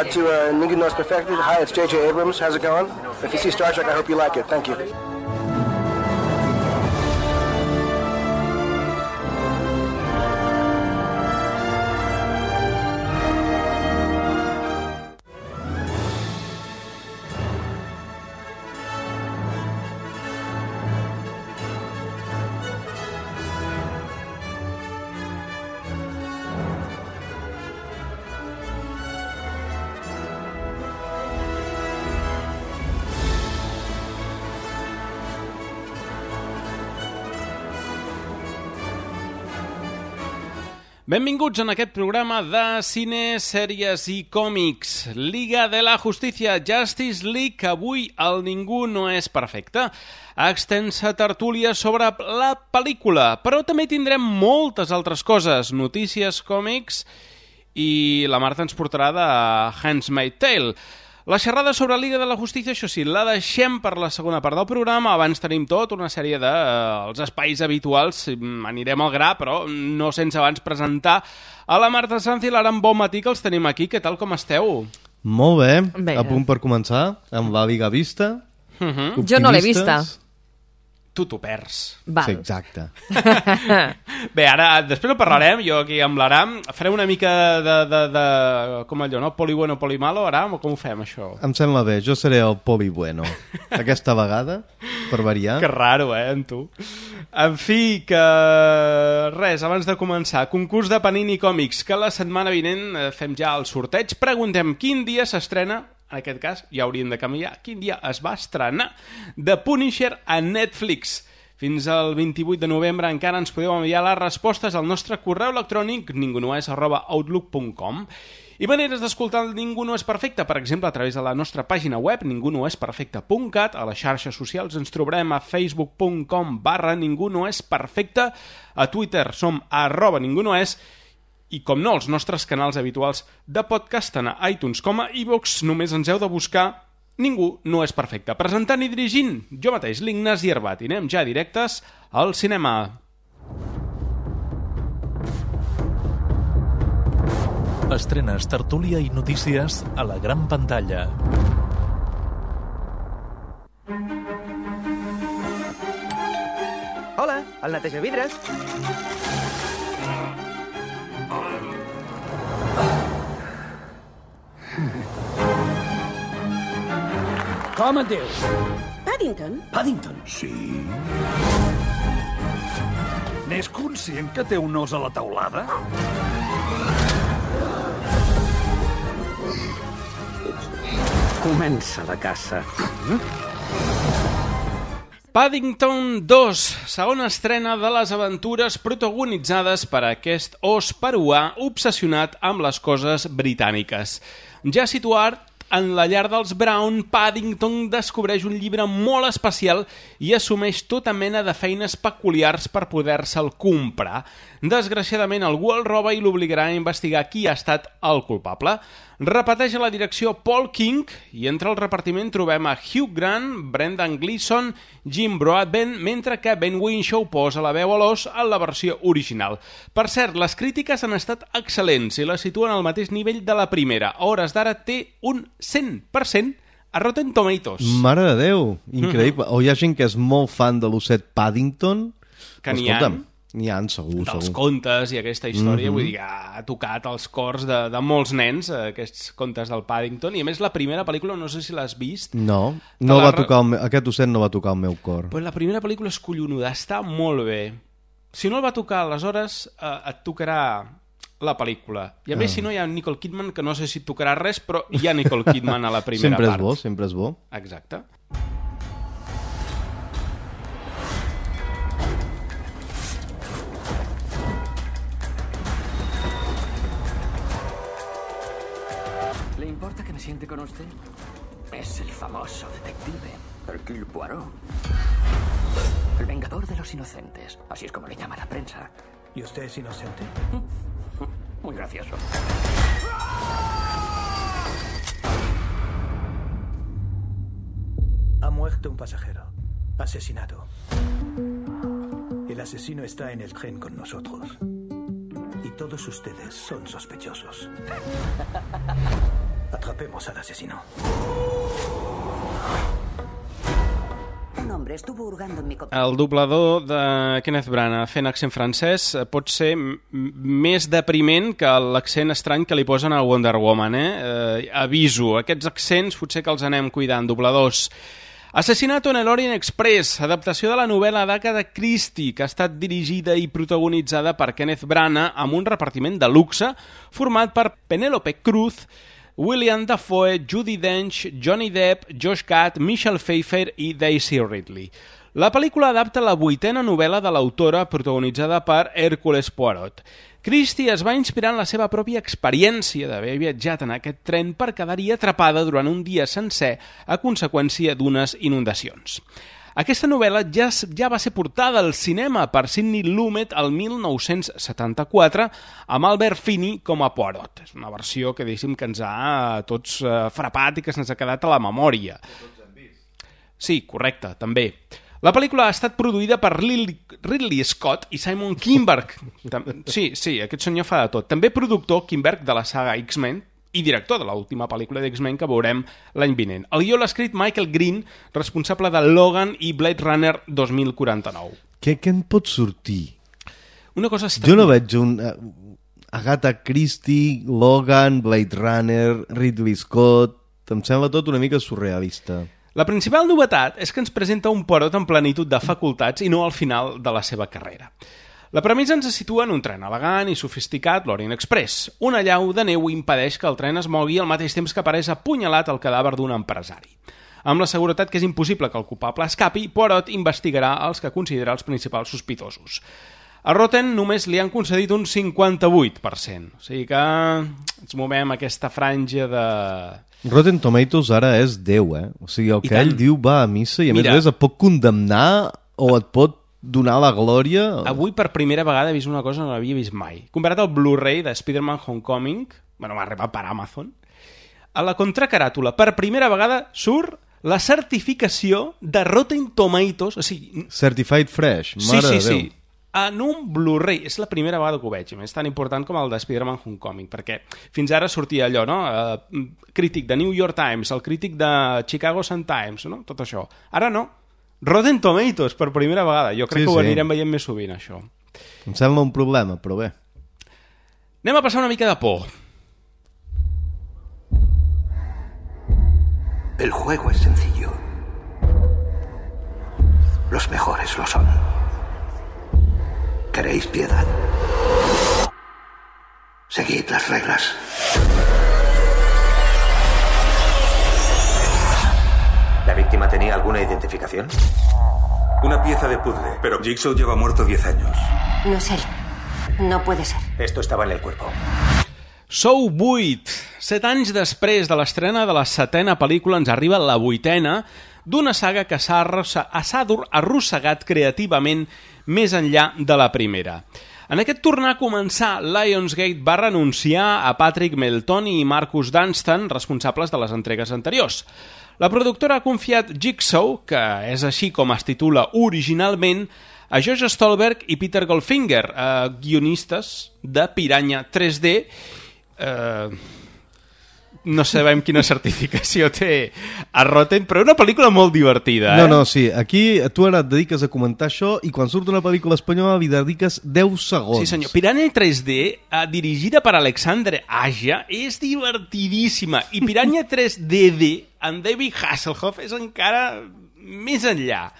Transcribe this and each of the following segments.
to Ninguno es Perfecto. Hi, it's J.J. Abrams. How's it going? If you see Star Trek, I hope you like it. Thank you. Benvinguts en aquest programa de cine, sèries i còmics. Liga de la Justícia, Justice League, avui el Ningú no és perfecte. Extensa tertúlia sobre la pel·lícula, però també tindrem moltes altres coses, notícies, còmics, i la Marta ens portarà de Handmaid's Tale. La xerrada sobre Liga de la Justícia, això sí, la deixem per la segona part del programa. Abans tenim una sèrie dels espais habituals. Anirem al gra, però no sense abans presentar a la Marta Sanz i l'Aram Bon Matí, que els tenim aquí. Què tal, com esteu? Molt bé. A punt per començar amb la Liga vista. Jo no l'he vista. Tu t'ho perds. Sí, exacte. Bé, ara, després ho parlarem, jo aquí amb l'Aram. Farem una mica de com allò, no? Poli bueno, poli malo, Aram, o com ho fem, això? Em sembla bé, jo seré el poli bueno. Aquesta vegada, per variar. Que raro, en tu. En fi, que res, abans de començar, concurs de Panini Còmics, que la setmana vinent fem ja el sorteig. Preguntem quin dia s'estrena, en aquest cas ja hauríem de canviar, quin dia es va estrenar The Punisher a Netflix. Fins al 28 de novembre encara ens podeu enviar les respostes al nostre correu electrònic ningunoes@outlook.com. I maneres d'escoltar el Ningú no és perfecte, per exemple, a través de la nostra pàgina web ningunoesperfecte.cat. A les xarxes socials ens trobarem a facebook.com/ningunoesperfecte. A Twitter som @ningunoes. I, com no, els nostres canals habituals de podcast, tant a iTunes com a iVoox, només ens heu de buscar Ningú no és perfecte. Presentant i dirigint, jo mateix, l'Ignasi Herbat. I anem ja directes al cinema. Estrenes, tertúlia i notícies a la gran pantalla. Hola, el netejavidres. Com et dius? Paddington? Paddington? Sí. N'és conscient que té un os a la teulada? Comença la caça. Paddington 2, segona estrena de les aventures protagonitzades per aquest os peruà obsessionat amb les coses britàniques. Ja situat en la llar dels Brown, Paddington descobreix un llibre molt especial i assumeix tota mena de feines peculiars per poder-se'l comprar. Desgraciadament, algú el roba i l'obligarà a investigar qui ha estat el culpable. Repeteix a la direcció Paul King i entre el repartiment trobem a Hugh Grant, Brendan Gleeson, Jim Broadbent, mentre que Ben Whishaw posa la veu a l'os en la versió original. Per cert, les crítiques han estat excel·lents i la situen al mateix nivell de la primera. A hores d'ara té un 100% a Rotten Tomatoes. Mare de Déu, increïble. O hi ha gent que és molt fan de l'osset Paddington. Que n'hi ha. N'hi ha, segur. Dels contes i aquesta història, vull dir que ha tocat els cors de molts nens, aquests contes del Paddington, i a més la primera pel·lícula, no sé si l'has vist. No va tocar aquest osset no va tocar el meu cor. Però la primera pel·lícula és collonuda, està molt bé. Si no el va tocar, aleshores et tocarà la pel·lícula. I a més, si no, hi ha Nicole Kidman, que no sé si et tocarà res, però hi ha Nicole Kidman a la primera part. Sempre és bo. Exacte. ¿Le importa que me siente con usted? Es el famoso detective Hercule Poirot. El vengador de los inocentes. Así es como le llama la prensa. ¿Y usted es inocente? Muy gracioso. Ha muerto un pasajero. Asesinado. El asesino está en el tren con nosotros. Y todos ustedes son sospechosos. Atrapemos al asesino. Un hombre estuvo hurgando en mi copa. El doblador de Kenneth Branagh fent accent francès pot ser més depriment que l'accent estrany que li posen a Wonder Woman, aviso, aquests accents potser que els anem cuidant, dobladors. Assassinato en el Orient Express, adaptació de la novel·la d'Agatha Christie, que ha estat dirigida i protagonitzada per Kenneth Branagh amb un repartiment de luxe format per Penélope Cruz, William Dafoe, Judi Dench, Johnny Depp, Josh Gad, Michelle Pfeiffer i Daisy Ridley. La pel·lícula adapta la 8ª novel·la de l'autora protagonitzada per Hércules Poirot. Christie es va inspirar en la seva pròpia experiència d'haver viatjat en aquest tren per quedar-hi atrapada durant un dia sencer a conseqüència d'unes inundacions. Aquesta novel·la ja va ser portada al cinema per Sidney Lumet el 1974 amb Albert Finney com a Poirot. És una versió que diguéssim que ens ha tots frapat i que se'ns ha quedat a la memòria. Sí, correcte, també. La pel·lícula ha estat produïda per Ridley Scott i Simon Kinberg. Sí, aquest senyor fa de tot. També productor Kinberg de la saga X-Men i director de l'última pel·lícula d'X-Men que veurem l'any vinent. El guió l'ha escrit Michael Green, responsable de Logan i Blade Runner 2049. Què en pot sortir? Una cosa estranya. Jo no veig un... Agatha Christie, Logan, Blade Runner, Ridley Scott... Em sembla tot una mica surrealista. La principal novetat és que ens presenta un Poirot en plenitud de facultats i no al final de la seva carrera. La premissa ens situa en un tren elegant i sofisticat, l'Orient Express. Una llau de neu impedeix que el tren es mogui al mateix temps que apareix apunyalat el cadàver d'un empresari. Amb la seguretat que és impossible que el culpable escapi, Poirot investigarà els que considera els principals sospitosos. A Rotten només li han concedit un 58%, o sigui que ens movem aquesta franja de... Rotten Tomatoes ara és Déu, O sigui, el que ell diu va a missa i a més et pot condemnar o et pot donar la glòria... Avui per primera vegada he vist una cosa que no l'havia vist mai. Comparat al Blu-ray de Spider-Man Homecoming, va arribar per Amazon, a la contracaràtula per primera vegada surt la certificació de Rotten Tomatoes, o sigui... Certified Fresh, mare de Déu. Sí. En un Blu-ray, és la primera vegada que ho veig, és tan important com el de Spider-Man Homecoming, perquè fins ara sortia allò, no? Crític de New York Times, el crític de Chicago Sun-Times, no? Tot això. Ara no. Rotten Tomatoes, per primera vegada. Jo crec que ho anirem veient més sovint, això. Em sembla un problema, però bé. Anem a passar una mica de por. El juego es sencillo. Los mejores lo son. ¿Queréis piedad? Seguid las reglas. ¿La víctima tenía alguna identificación? Una pieza de puzzle, pero Jigsaw lleva muerto 10 años. No es él. No puede ser. Esto estaba en el cuerpo. Saw 8. 7 anys després de l'estrena de la 7ª pel·lícula ens arriba la 8ª d'una saga que s'ha arrossegat creativament més enllà de la primera. En aquest tornar a començar, Lionsgate va renunciar a Patrick Meltoni i Marcus Dunstan, responsables de les entregues anteriors. La productora ha confiat Jigsaw, que és així com es titula originalment, a Josh Stolberg i Peter Goldfinger, guionistes de Piranha 3D. No sabem quina certificació té a Rotten, però una pel·lícula molt divertida. No, sí, aquí tu ara et dediques a comentar això i quan surt una pel·lícula espanyola li dediques 10 segons. Sí, senyor. Piranha 3D, dirigida per Alexandre Aja, és divertidíssima. I Piranha 3DD, en David Hasselhoff, és encara més enllà.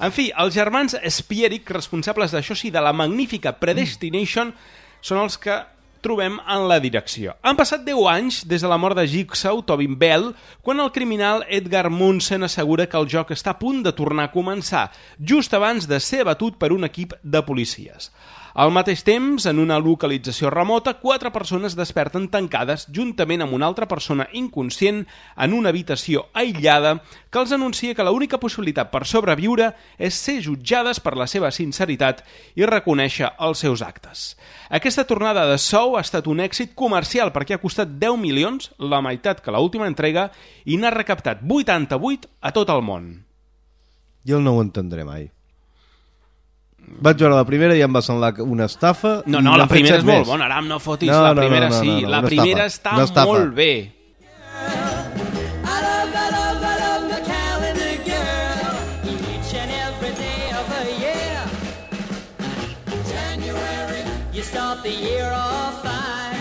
En fi, els germans Spierig, responsables d'això sí, de la magnífica Predestination, són els que trobem en la direcció. Han passat 10 anys des de la mort de Jigsaw, Tobin Bell, quan el criminal Edgar Munsen assegura que el joc està a punt de tornar a començar, just abans de ser abatut per un equip de policies. Al mateix temps, en una localització remota, 4 persones desperten tancades juntament amb una altra persona inconscient en una habitació aïllada que els anuncia que l'única possibilitat per sobreviure és ser jutjades per la seva sinceritat i reconèixer els seus actes. Aquesta tornada de Saw ha estat un èxit comercial perquè ha costat 10 milions, la meitat que l'última entrega, i n'ha recaptat 88 a tot el món. Jo no ho entendré mai. Vaig veure la primera i em va semblar una estafa. No, la primera és molt bona, Aram, no fotis, la primera sí. La primera està molt bé.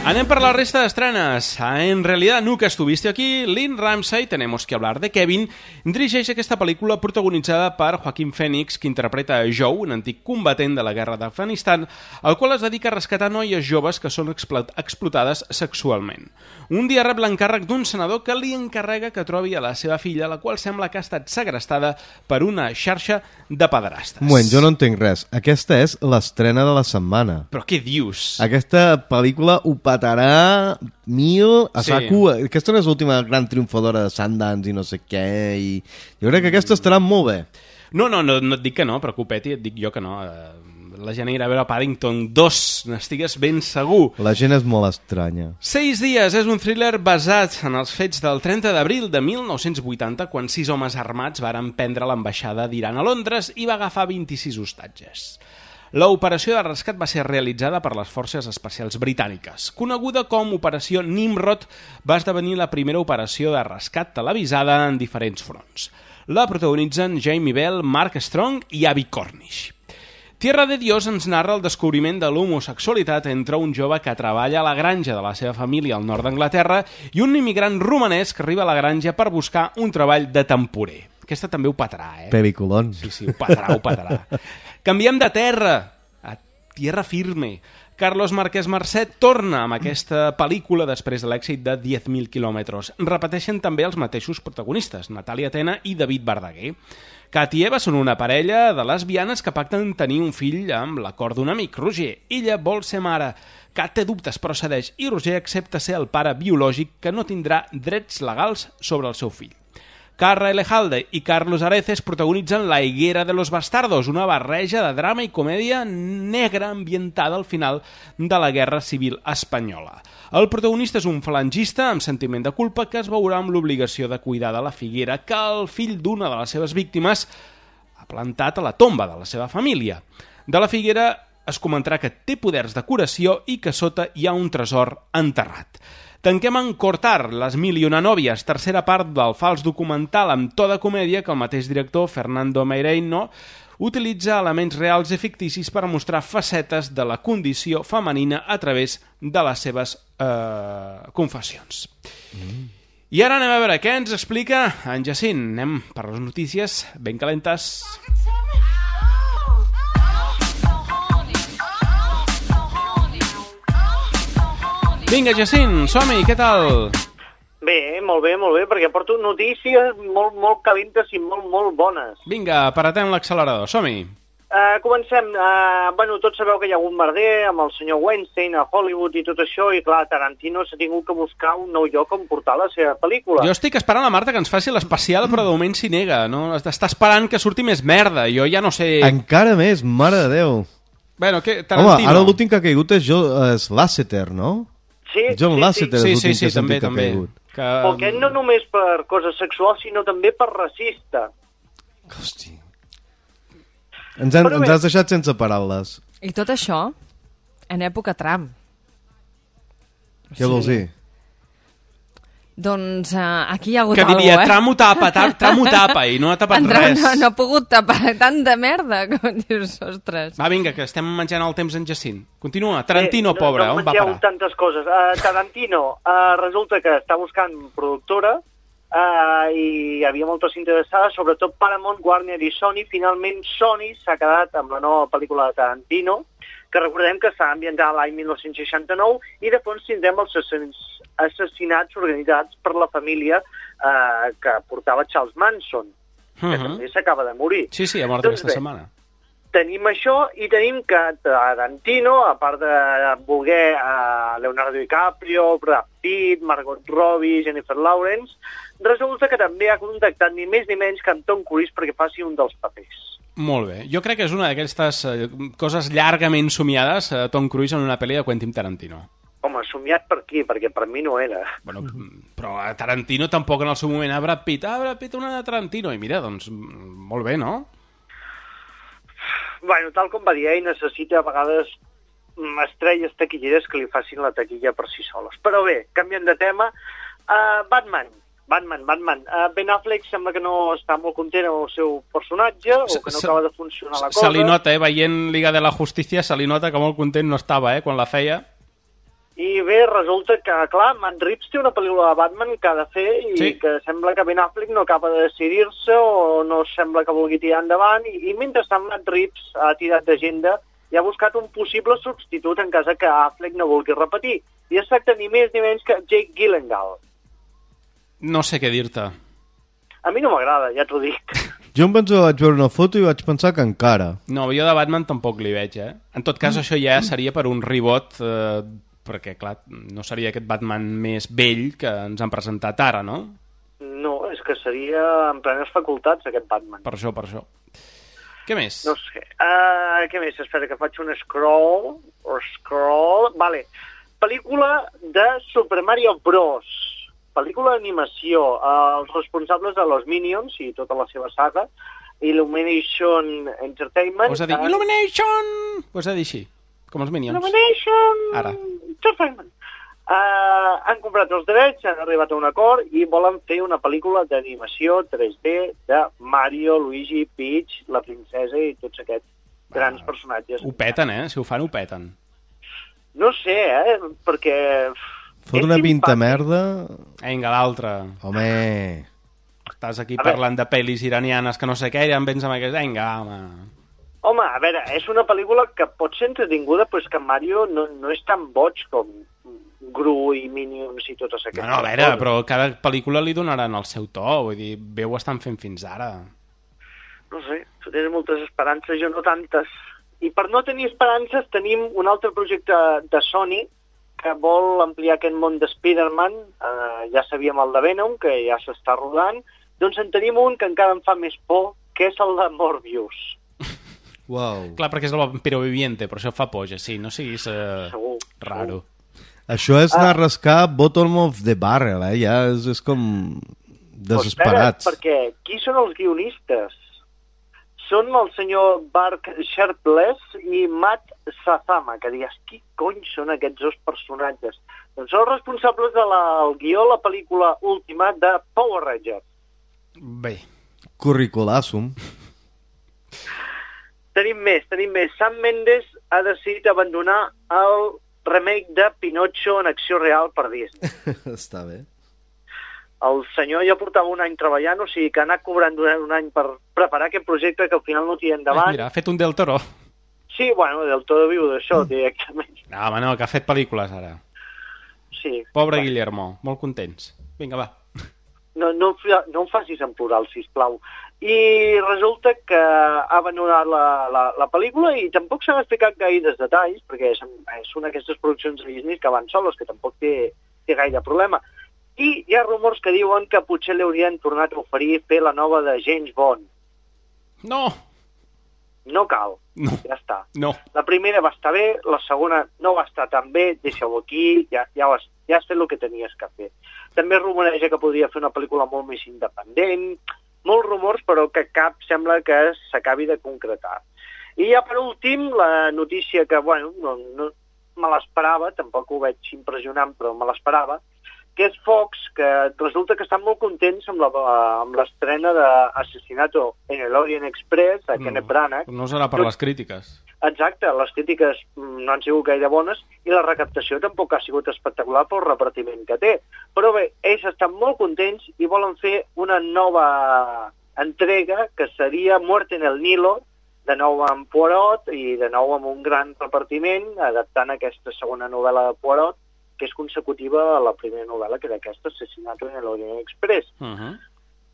Anem per la resta d'estrenes. En realidad nunca estuviste aquí. Lynn Ramsay, tenemos que hablar de Kevin, dirigeix aquesta pel·lícula protagonitzada per Joaquin Phoenix, que interpreta a Joe, un antic combatent de la guerra d'Afganistan, el qual es dedica a rescatar noies joves que són explotades sexualment. Un dia rep l'encàrrec d'un senador que li encarrega que trobi a la seva filla, la qual sembla que ha estat segrestada per una xarxa de pederastes. Un moment, jo no entenc res. Aquesta és l'estrena de la setmana. Però què dius? Aquesta pel·lícula ho patarà mil a saco. Aquesta no és l'última gran triomfadora de Sundance i no sé què. I jo crec que aquesta estarà molt bé. No et dic que no, preocupeti, et dic jo que no. La gent irà a veure Paddington 2, n'estigues ben segur. La gent és molt estranya. 6 dies és un thriller basat en els fets del 30 d'abril de 1980, quan 6 homes armats varen prendre l'ambaixada d'Iran a Londres i va agafar 26 hostatges. L'operació de rescat va ser realitzada per les forces especials britàniques. Coneguda com Operació Nimrod, va esdevenir la primera operació de rescat televisada en diferents fronts. La protagonitzen Jamie Bell, Mark Strong i Abbie Cornish. Tierra de Dios ens narra el descobriment de l'homosexualitat entre un jove que treballa a la granja de la seva família al nord d'Anglaterra i un immigrant romanès que arriba a la granja per buscar un treball de temporer. Aquesta també ho patarà, Peviculón. Sí, ho patarà. Canviem de terra, a tierra firme. Carlos Márquez Marcet torna amb aquesta pel·lícula després de l'èxit de 10.000 quilòmetres. Repeteixen també els mateixos protagonistes, Natàlia Tena i David Verdaguer. Kat i Eva són una parella de lesbianes que pacten tenir un fill amb l'acord d'un amic, Roger. Ella vol ser mare. Kat té dubtes però cedeix i Roger accepta ser el pare biològic que no tindrà drets legals sobre el seu fill. Carra Elejalde i Carlos Areces protagonitzen La higuera de los bastardos, una barreja de drama i comèdia negra ambientada al final de la Guerra Civil Espanyola. El protagonista és un falangista amb sentiment de culpa que es veurà amb l'obligació de cuidar de la figuera que el fill d'una de les seves víctimes ha plantat a la tomba de la seva família. De la figuera es comentarà que té poders de curació i que sota hi ha un tresor enterrat. Tanquem en Cortar, Les mil i una nòvies, tercera part del fals documental amb to de comèdia que el mateix director, Fernando Meirelles, utilitza elements reals i ficticis per mostrar facetes de la condició femenina a través de les seves confessions. I ara anem a veure què ens explica en Jacint. Anem per les notícies ben calentes. Vinga, Jacint, som-hi, què tal? Bé, perquè porto notícies molt calentes i molt bones. Vinga, aparatem l'accelerador, som-hi. Comencem. Tots sabeu que hi ha un merder amb el senyor Weinstein a Hollywood i tot això, i clar, Tarantino s'ha tingut que buscar un nou lloc on portar la seva pel·lícula. Jo estic esperant la Marta que ens faci l'especial, però de moment s'hi nega, no? Està esperant que surti més merda, jo ja no sé... Encara més, mare de Déu. Bueno, què, Tarantino... Home, ara l'últim que ha caigut és Lasseter, no? Sí, John Lasseter és l'últim que també. Ha caigut. Però aquest no només per coses sexuals, sinó també per racista. Hosti. Ens has deixat sense paraules. I tot això en època Trump. Què vols dir? Doncs aquí hi ha hagut que diria, alguna cosa, Trump ho tapa i no ha tapat res. No ha pogut tapar tant de merda, com dius, ostres. Va, vinga, que estem menjant el temps en Jacint. Continua. Tarantino, pobre, on va parar? Tantes coses. Tarantino resulta que està buscant productora i hi havia moltes interessades, sobretot Paramount, Warner i Sony. Finalment Sony s'ha quedat amb la nova pel·lícula de Tarantino, que recordem que s'ha ambientat l'any 1969 i de fons tindrem els assassinats organitzats per la família que portava Charles Manson, que també s'acaba de morir. Sí, ha mort aquesta setmana. Tenim això i tenim que Tarantino, a part de voler Leonardo DiCaprio, Brad Pitt, Margot Robbie, Jennifer Lawrence, resulta que també ha contactat ni més ni menys que en Tom Cruise perquè faci un dels papers. Molt bé. Jo crec que és una d'aquestes coses llargament somiades, Tom Cruise en una pel·li de Quentin Tarantino. Home, somiat per qui? Perquè per mi no era. Bueno, però a Tarantino tampoc en el seu moment. Brad Pitt una de Tarantino. I mira, doncs, molt bé, no? Bueno, tal com va dir ell, necessita a vegades estrelles taquilleres que li facin la taquilla per si soles. Però bé, canviant de tema, Batman. Batman. Ben Affleck sembla que no està molt content amb el seu personatge o que no acaba de funcionar la cosa. Se li nota, veient Liga de la Justícia, se li nota que molt content no estava, quan la feia. I bé, resulta que, clar, Matt Reeves té una pel·lícula de Batman que ha de fer i que sembla que Ben Affleck no acaba de decidir-se o no sembla que vulgui tirar endavant i mentrestant Matt Reeves ha tirat d'agenda i ha buscat un possible substitut en cas que Affleck no vulgui repetir. I es tracta ni més ni menys que Jake Gyllenhaal. No sé què dir-te. A mi no m'agrada, ja t'ho dic. Jo em penso que vaig veure una foto i vaig pensar que encara. No, jo de Batman tampoc li veig, En tot cas, això ja seria per un reboot, perquè, clar, no seria aquest Batman més vell que ens han presentat ara, no? No, és que seria en plenes facultats, aquest Batman. Per això. Què més? No sé. Què més? Espera, que faig un scroll. Vale. Pel·lícula de Super Mario Bros. Pel·lícula d'animació. Els responsables de los Minions i tota la seva saga, Illumination Entertainment. Us ha dit Illumination! Us ha dit així, com els Minions. Illumination Ara. Entertainment. Han comprat els drets, han arribat a un acord i volen fer una pel·lícula d'animació 3D de Mario, Luigi, Peach, la princesa i tots aquests grans personatges. Ho peten, Si ho fan, ho peten. No sé, perquè... Fot una pinta merda... Vinga, l'altre. Home... Estàs aquí parlant de pel·lis iranianes que no sé què, i ja em vens amb aquest... Vinga, home... Home, a veure, és una pel·lícula que pot ser entretinguda, però és que Mario no és tan boig com Gru i Minions i totes aquestes coses. No, a veure, però cada pel·lícula li donaran el seu to, vull dir, bé ho estan fent fins ara. No sé, tu tens moltes esperances, jo no tantes. I per no tenir esperances tenim un altre projecte de Sony que vol ampliar aquest món de Spider-Man, ja sabíem el de Venom, que ja s'està rodant, doncs en tenim un que encara em fa més por, que és el de Morbius. Wow. Clar, perquè és el vampiro viviente, però això fa por, sí, no siguis raro. Això és anar a rascar bottom of the barrel, ja és com desesperats. Espera, perquè qui són els guionistes? Són el senyor Mark Sharpless i Matt Sazama, que dius, qui cony són aquests dos personatges? Doncs són els responsables del guió de la pel·lícula última de Power Rangers. Bé. Curriculassum. Tenim més. Sam Mendes ha decidit abandonar el remake de Pinocho en acció real per Disney. Està bé. El senyor ja portava un any treballant, o sigui que ha anat cobrant durant un any per preparar aquest projecte que al final no tira endavant. Mira, ha fet un Del Toro. Sí, bueno, Del Toro viu d'això, directament. No, home, no, que ha fet pel·lícules ara. Sí. Pobre Guillermo, molt contents. Vinga, va. No em facis en plural, sisplau. I resulta que ha abandonat la pel·lícula i tampoc s'han explicat gaires detalls, perquè és una d'aquestes produccions de Disney que van soles, que tampoc té gaire problema. I hi ha rumors que diuen que potser li haurien tornat a oferir fer la nova de James Bond. No! No cal, no. Ja està. No. La primera va estar bé, la segona no va estar tan bé, deixa-ho aquí, ja has fet el que tenies que fer. També rumoreja que podria fer una pel·lícula molt més independent, molts rumors, però que cap sembla que s'acabi de concretar. I ja per últim, la notícia que, bueno, no me l'esperava, tampoc ho veig impressionant, però me l'esperava, que és Fox, que resulta que estan molt contents amb l'estrena d'Assassinato en el Orient Express, a Kenneth Branagh. No serà per les crítiques. Exacte, les crítiques no han sigut gaire bones i la recaptació tampoc ha sigut espectacular pel repartiment que té. Però bé, ells estan molt contents i volen fer una nova entrega que seria Muerte en el Nilo, de nou amb Poirot i de nou amb un gran repartiment, adaptant aquesta segona novel·la de Poirot, que és consecutiva a la primera novel·la, que era aquesta, Assassinato en el Orient Express.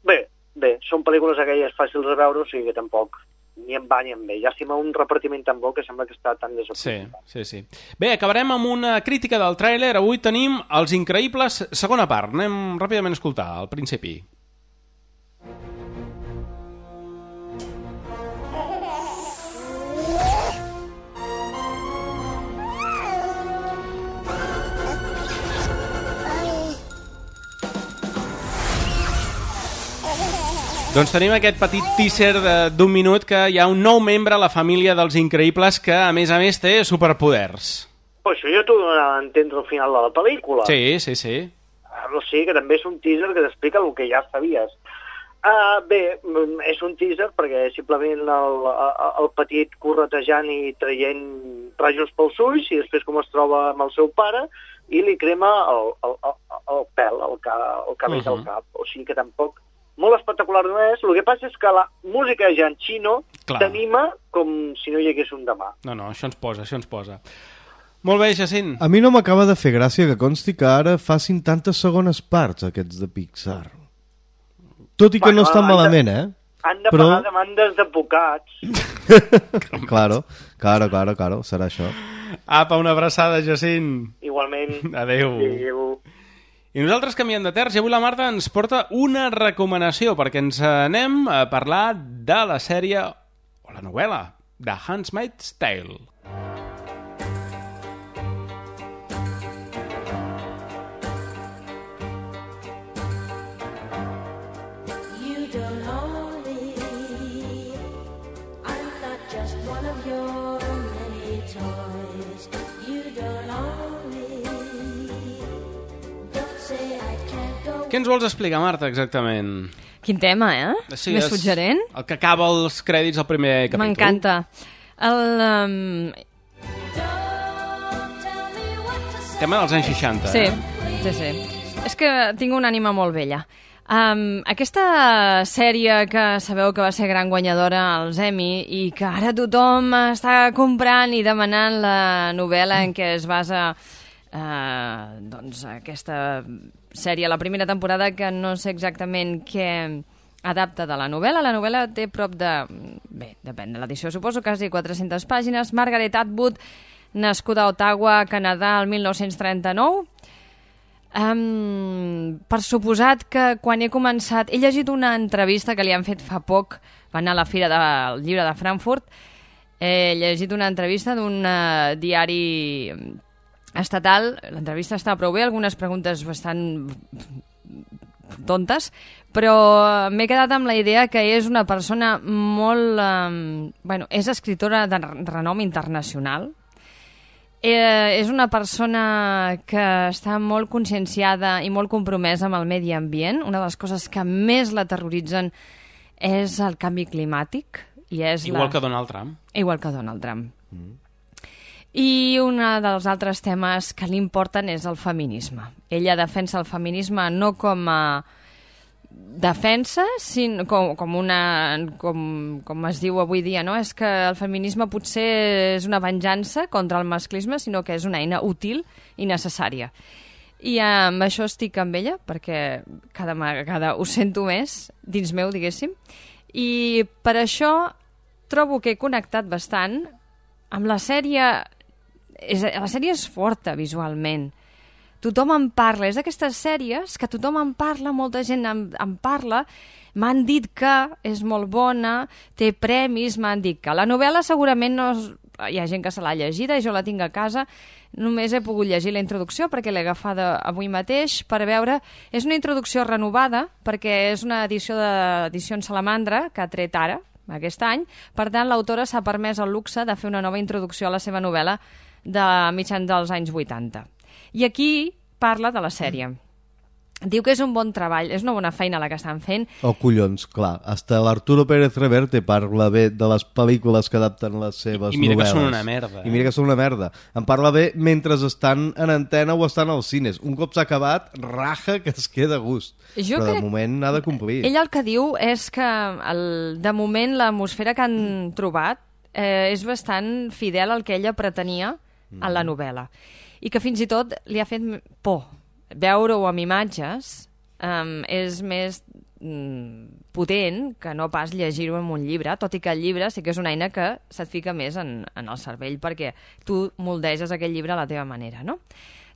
Bé, són pel·lícules aquelles fàcils de veure, o sigui que tampoc ni em va ni em ve. Llàstima un repartiment tan bo que sembla que està tan desaprofitat. Sí. Bé, acabarem amb una crítica del tràiler. Avui tenim Els Increïbles, segona part. Anem ràpidament a escoltar, al principi. Doncs tenim aquest petit teaser d'un minut que hi ha un nou membre a la família dels Increïbles que, a més, té superpoders. Però això ja t'ho donarà a entendre al final de la pel·lícula. Sí. O sigui que també és un teaser que t'explica el que ja sabies. Bé, és un teaser perquè simplement el petit corretejant i traient rajos pels ulls i després com es troba amb el seu pare i li crema el pèl, el cabell del cap. O sigui que tampoc molt espectacular no és. El que passa és que la música ja en xino t'anima com si no hi hagués un demà. No, això ens posa. Molt bé, Jacint. A mi no m'acaba de fer gràcia que consti que ara facin tantes segones parts aquests de Pixar. Tot i que no estan malament, Han de pagar demandes d'advocats. Claro, serà això. Apa, una abraçada, Jacint. Igualment. Adéu. I nosaltres canviem de terç i avui la Marta ens porta una recomanació perquè ens anem a parlar de la sèrie o la novel·la de Handmaid's Tale. Què ens vols explicar, Marta, exactament? Quin tema, Sí, més suggerent? El que acaba els crèdits del primer capítol. M'encanta. Tema dels anys 60, Sí. És que tinc una ànima molt vella. Aquesta sèrie que sabeu que va ser gran guanyadora als Emmy i que ara tothom està comprant i demanant la novel·la en què es basa aquesta sèrie, la primera temporada, que no sé exactament què adapta de la novel·la. La novel·la té prop de... Bé, depèn de l'edició, suposo, quasi 400 pàgines. Margaret Atwood, nascuda a Ottawa, Canadà, el 1939. Per suposat que quan he començat... He llegit una entrevista que li han fet fa poc, va anar a la Fira del Llibre de Frankfurt. He llegit una entrevista d'un diari estatal. L'entrevista està prou bé, algunes preguntes bastant tontes, però m'he quedat amb la idea que és una persona molt... és escriptora de renom internacional. És una persona que està molt conscienciada i molt compromesa amb el medi ambient. Una de les coses que més la terroritzen és el canvi climàtic. Igual que Donald Trump. Igual que Donald Trump. I un dels altres temes que li importen és el feminisme. Ella defensa el feminisme no com a defensa, sinó com es diu avui dia, no? És que el feminisme potser és una venjança contra el masclisme, sinó que és una eina útil i necessària. I amb això estic amb ella, perquè cada vegada ho sento més dins meu, diguéssim. I per això trobo que he connectat bastant amb la sèrie. La sèrie és forta visualment. Tothom en parla. És d'aquestes sèries que tothom en parla, molta gent en parla. M'han dit que és molt bona, té premis, m'han dit que. La novel·la segurament no... Hi ha gent que se l'ha llegida i jo la tinc a casa. Només he pogut llegir la introducció perquè l'he agafada avui mateix per veure. És una introducció renovada perquè és una edició d'Edicions Salamandra que ha tret ara, aquest any. Per tant, l'autora s'ha permès el luxe de fer una nova introducció a la seva novel·la de mitjans dels anys 80. I aquí parla de la sèrie. Diu que és un bon treball, és una bona feina la que estan fent. Oh, collons, clar. Hasta l'Arturo Pérez Reverte parla bé de les pel·lícules que adapten les seves novel·les. I mira que són una merda. I mira que són una merda. En parla bé mentre estan en antena o estan als cines. Un cop s'ha acabat, raja que es queda a gust. Però de moment ha de complir. Ell el que diu és que de moment l'atmosfera que han trobat és bastant fidel al que ella pretenia a la novel·la. I que fins i tot li ha fet por. Veure-ho amb imatges és més potent que no pas llegir-ho en un llibre, tot i que el llibre sí que és una eina que se't fica més en el cervell perquè tu moldeges aquell llibre a la teva manera, no?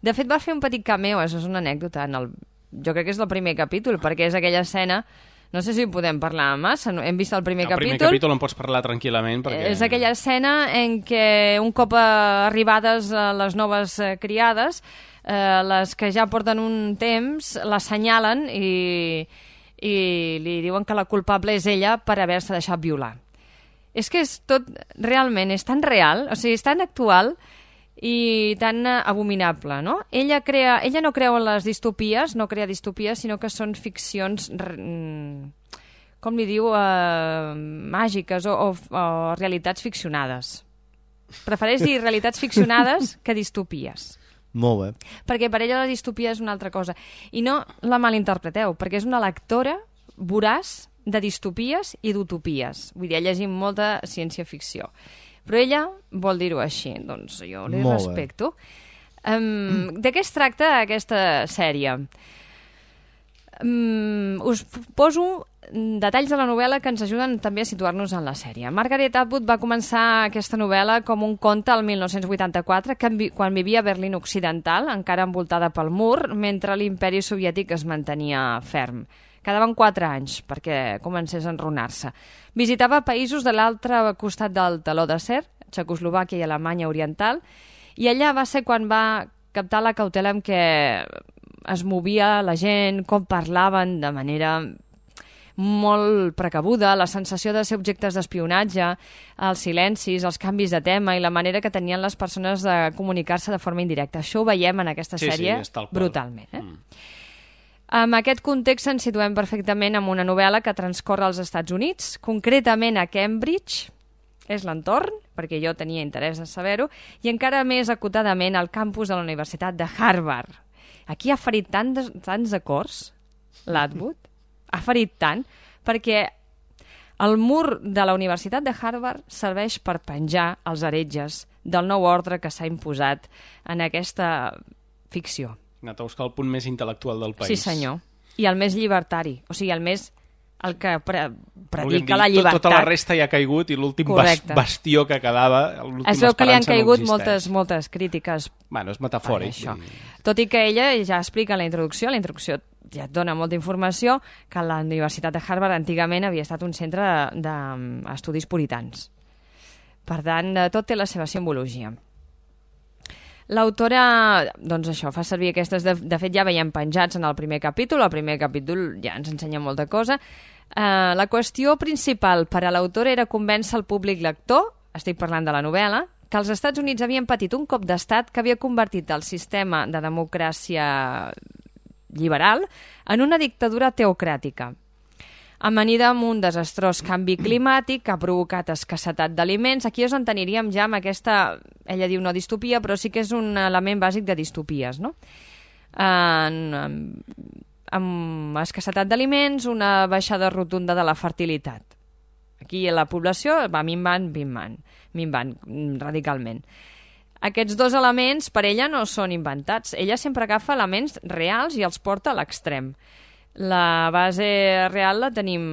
De fet, va fer un petit cameo, això és una anècdota, jo crec que és el primer capítol, perquè és aquella escena. No sé si podem parlar massa, hem vist el primer capítol. El primer capítol en pots parlar tranquil·lament perquè... És aquella escena en què un cop arribades les noves criades, les que ja porten un temps, l'assenyalen i li diuen que la culpable és ella per haver-se deixat violar. És que és tot, realment, és tan real, o sigui, és tan actual i tan abominable, no? Ella no creu en les distopies, no crea distopies, sinó que són ficcions, com li diu, màgiques o realitats ficcionades. Prefereix dir realitats ficcionades que distopies. Molt bé. Perquè per ella la distopia és una altra cosa. I no la malinterpreteu, perquè és una lectora voraç de distopies i d'utopies. Vull dir, ha llegit molta ciència-ficció. Però ella vol dir-ho així, doncs jo li respecto. De què es tracta aquesta sèrie? Us poso detalls de la novel·la que ens ajuden també a situar-nos en la sèrie. Margaret Atwood va començar aquesta novel·la com un conte el 1984, quan vivia a Berlín Occidental, encara envoltada pel mur, mentre l'imperi soviètic es mantenia ferm. Quedaven 4 anys perquè comencés a enrunar-se. Visitava països de l'altre costat del teló d'acer, Txecoslovàquia i Alemanya Oriental, i allà va ser quan va captar la cautela amb què es movia la gent, com parlaven de manera molt precabuda, la sensació de ser objectes d'espionatge, els silencis, els canvis de tema i la manera que tenien les persones de comunicar-se de forma indirecta. Això ho veiem en aquesta sèrie brutalment. En aquest context ens situem perfectament en una novel·la que transcorre als Estats Units, concretament a Cambridge, és l'entorn, perquè jo tenia interès en saber-ho, i encara més acotadament al campus de la Universitat de Harvard. Aquí ha ferit tants acords, l'Atwood, ha ferit tant, perquè el mur de la Universitat de Harvard serveix per penjar els heretges del nou ordre que s'ha imposat en aquesta ficció. Ha anat a buscar el punt més intel·lectual del país. Sí, senyor. I el més llibertari. O sigui, el que predica la llibertat. Tota la resta ja ha caigut i l'últim bastió que quedava, l'última es veu que li han caigut no existeix. moltes crítiques. Bueno, és metafòric. Tot i que ella ja explica en la introducció ja et dona molta informació, que la Universitat de Harvard antigament havia estat un centre d'estudis puritans. Per tant, tot té la seva simbologia. L'autora, doncs això, fa servir aquestes, de fet ja veiem penjats en el primer capítol ja ens ensenya molta cosa. La qüestió principal per a l'autora era convèncer el públic lector, estic parlant de la novel·la, que els Estats Units havien patit un cop d'estat que havia convertit el sistema de democràcia liberal en una dictadura teocràtica. Amanida amb un desastrós canvi climàtic que ha provocat escassetat d'aliments. Aquí ens enteniríem ja amb aquesta, ella diu no distopia, però sí que és un element bàsic de distopies, no? Amb escassetat d'aliments, una baixada rotunda de la fertilitat. Aquí la població va minvant radicalment. Aquests dos elements per ella no són inventats. Ella sempre agafa elements reals i els porta a l'extrem. La base real la tenim